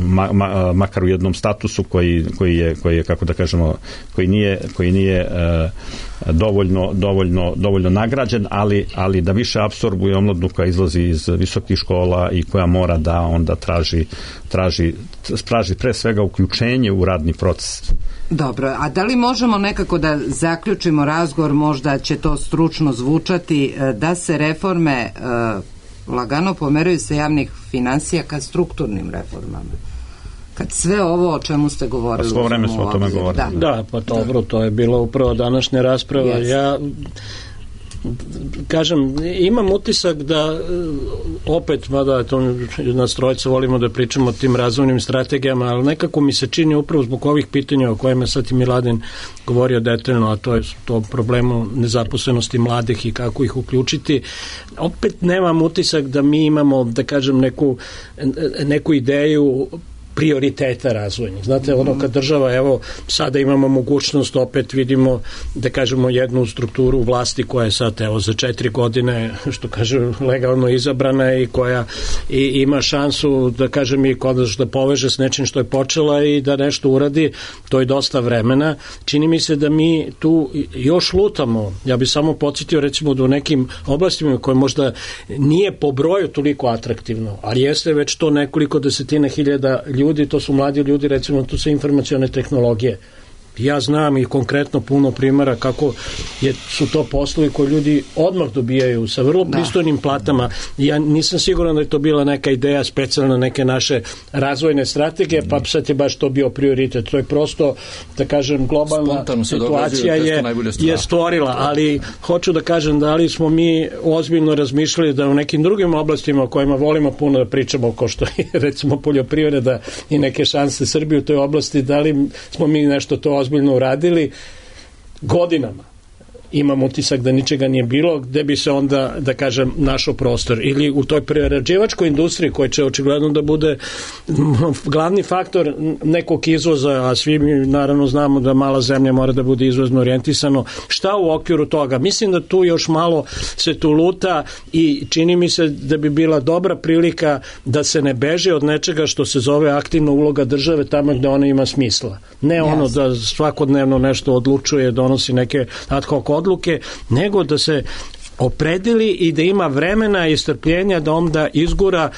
ma, ma, makar u jednom statusu koji, koji, je, koji je, kako da kažemo, koji nije, koji nije uh, dovoljno, dovoljno, dovoljno nagrađen, ali, ali da više apsorbuje omladnu koja izlazi iz visokih škola i koja mora da onda traži, traži, traži pre svega uključenje u radni proces. Dobro, a da li možemo nekako da zaključimo razgovor, možda će to stručno zvučati, da se reforme lagano pomeraju se javnih finansija ka strukturnim reformama. Kad sve ovo o čemu ste govorili... Pa svo vreme smo o tome govorili. Da, da pa dobro, to je bilo upravo današnja rasprava. Yes. Ja kažem, imam utisak da opet, mada to nas trojica volimo da pričamo o tim razvojnim strategijama, ali nekako mi se čini upravo zbog ovih pitanja o kojima sad i Miladin govorio detaljno, a to je to problemu nezaposlenosti mladih i kako ih uključiti. Opet nemam utisak da mi imamo, da kažem, neku, neku ideju prioriteta razvojnih. Znate, ono kad država, evo, sada imamo mogućnost, opet vidimo, da kažemo, jednu strukturu vlasti koja je sad, evo, za četiri godine, što kažem, legalno izabrana i koja i, ima šansu, da kažem, i konačno da poveže s nečim što je počela i da nešto uradi, to je dosta vremena. Čini mi se da mi tu još lutamo. Ja bih samo podsjetio, recimo, da u nekim oblastima koje možda nije po broju toliko atraktivno, ali jeste već to nekoliko desetina hiljada ljudi, to su mladi ljudi, recimo, to su informacione tehnologije. Ja znam i konkretno puno primjera kako je, su to poslovi koji ljudi odmah dobijaju sa vrlo pristojnim platama. Ja nisam siguran da je to bila neka ideja specijalna neke naše razvojne strategije, pa sad je baš to bio prioritet. To je prosto, da kažem, globalna situacija je, je stvorila, ali hoću da kažem da li smo mi ozbiljno razmišljali da u nekim drugim oblastima o kojima volimo puno da pričamo, kao što je recimo poljoprivreda i neke šanse Srbije u toj oblasti, da li smo mi nešto to ozbiljno uradili godinama. Imam utisak da ničega nije bilo, gde bi se onda, da kažem, našao prostor. Ili u toj prerađivačkoj industriji, koja će očigledno da bude glavni faktor nekog izvoza, a svi mi naravno znamo da mala zemlja mora da bude izvozno orijentisano. Šta u okviru toga? Mislim da tu još malo se tu luta i čini mi se da bi bila dobra prilika da se ne beže od nečega što se zove aktivna uloga države tamo gde ona ima smisla. Ne ono yes. da svakodnevno nešto odlučuje, donosi neke ad hoc odluke, nego da se opredeli i da ima vremena i strpljenja da onda izgura,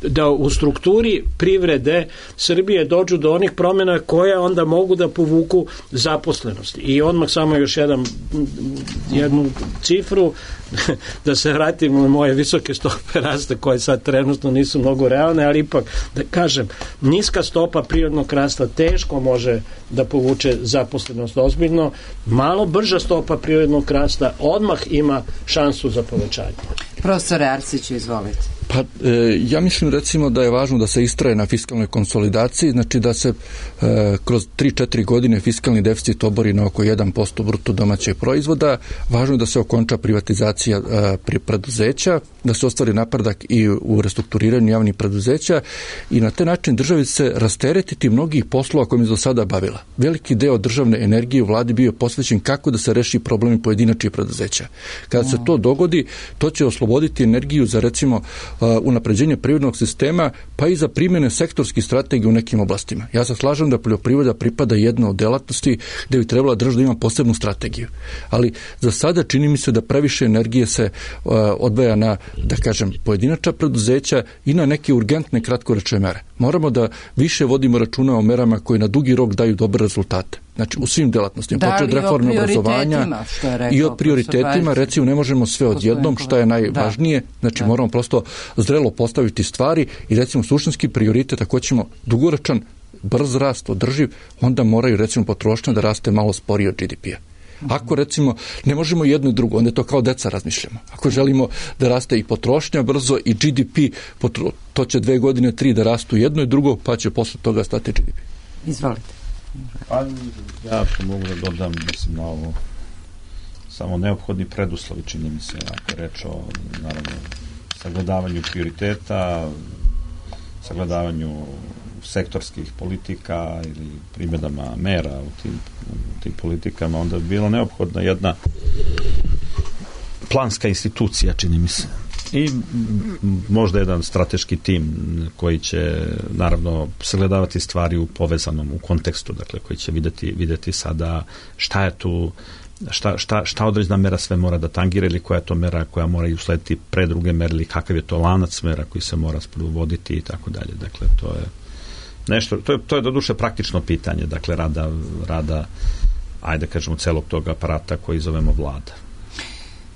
da u strukturi privrede Srbije dođu do onih promjena koje onda mogu da povuku zaposlenost. I odmah samo još jedan, jednu cifru, da se vratim na moje visoke stope rasta koje sad trenutno nisu mnogo realne, ali ipak da kažem, niska stopa prirodnog rasta teško može da povuče zaposlenost ozbiljno, malo brža stopa prirodnog rasta odmah ima šansu za povećanje. Profesore Arsiću, izvolite. Pa, e, ja mislim recimo da je važno da se istraje na fiskalnoj konsolidaciji, znači da se e, kroz tri četiri godine fiskalni deficit obori na oko jedan posto bruto domaćeg proizvoda, važno je da se okonča privatizacija e, pri preduzeća, da se ostvari napredak i u restrukturiranju javnih preduzeća i na taj način državi se rasteretiti mnogih poslova kojim je do sada bavila. Veliki deo državne energije u vladi bio posvećen kako da se reši problemi pojedinačnih preduzeća. Kada se to dogodi, to će osloboditi energiju za recimo unapređenje privrednog sistema, pa i za primjene sektorskih strategija u nekim oblastima. Ja se slažem da poljoprivreda pripada jedna od delatnosti gde bi trebala država da ima posebnu strategiju. Ali za sada čini mi se da previše energije se uh, odvaja na, da kažem, pojedinačna preduzeća i na neke urgentne kratkoročne mere. Moramo da više vodimo računa o merama koje na dugi rok daju dobre rezultate. Znači, u svim delatnostima, da, počet od reforme obrazovanja i od prioritetima, recimo, ne možemo sve odjednom, šta je najvažnije, znači da. Moramo prosto zrelo postaviti stvari i recimo suštinski prioritet, ako ćemo dugoročan, brz rast, održiv, onda moraju recimo potrošnja da raste malo sporije od G D P-a. Ako recimo ne možemo jedno i drugo, onda je to kao deca razmišljamo. Ako želimo da raste i potrošnja brzo i G D P, potro, to će dve godine, tri da rastu jedno i drugo, pa će posle toga stati G D P. Izvolite. Pa, ja to mogu da dodam, mislim, na ovo samo neophodni preduslovi, čini mi se, ako je reč o, naravno, sagledavanju prioriteta, sagledavanju sektorskih politika ili primjedama mera u tim, u tim politikama, onda bi bila neophodna jedna planska institucija, čini mi se. I možda jedan strateški tim koji će naravno sagledavati stvari u povezanom, u kontekstu, dakle koji će videti, videti sada šta je tu, šta, šta, šta određena mera sve mora da tangira ili koja je to mera koja mora i uslediti pre druge mere ili kakav je to lanac mera koji se mora sprovoditi i tako dalje. Dakle, to je nešto, to je, to je doduše praktično pitanje, dakle rada, rada ajde kažemo celog tog aparata koji zovemo vlada.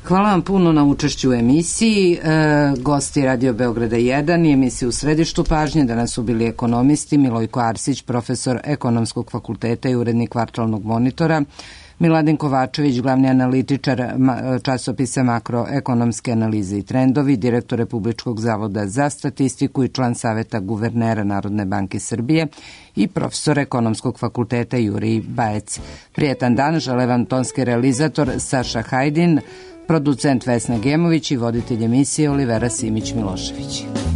Hvala vam puno na učešću u emisiji. E, gosti Radio Beograda jedan i emisiju U središtu pažnje danas su bili ekonomisti Milojko Arsić, profesor Ekonomskog fakulteta i urednik Kvartalnog monitora, Miladin Kovačević, glavni analitičar časopisa Makroekonomske analize i trendovi, direktor Republičkog zavoda za statistiku i član Saveta guvernera Narodne banke Srbije i profesor Ekonomskog fakulteta Jurij Bajec. Prijetan dan, žele vam tonski realizator Saša Hajdin, producent Vesna Gemović i voditelj emisije Olivera Simić-Milošević.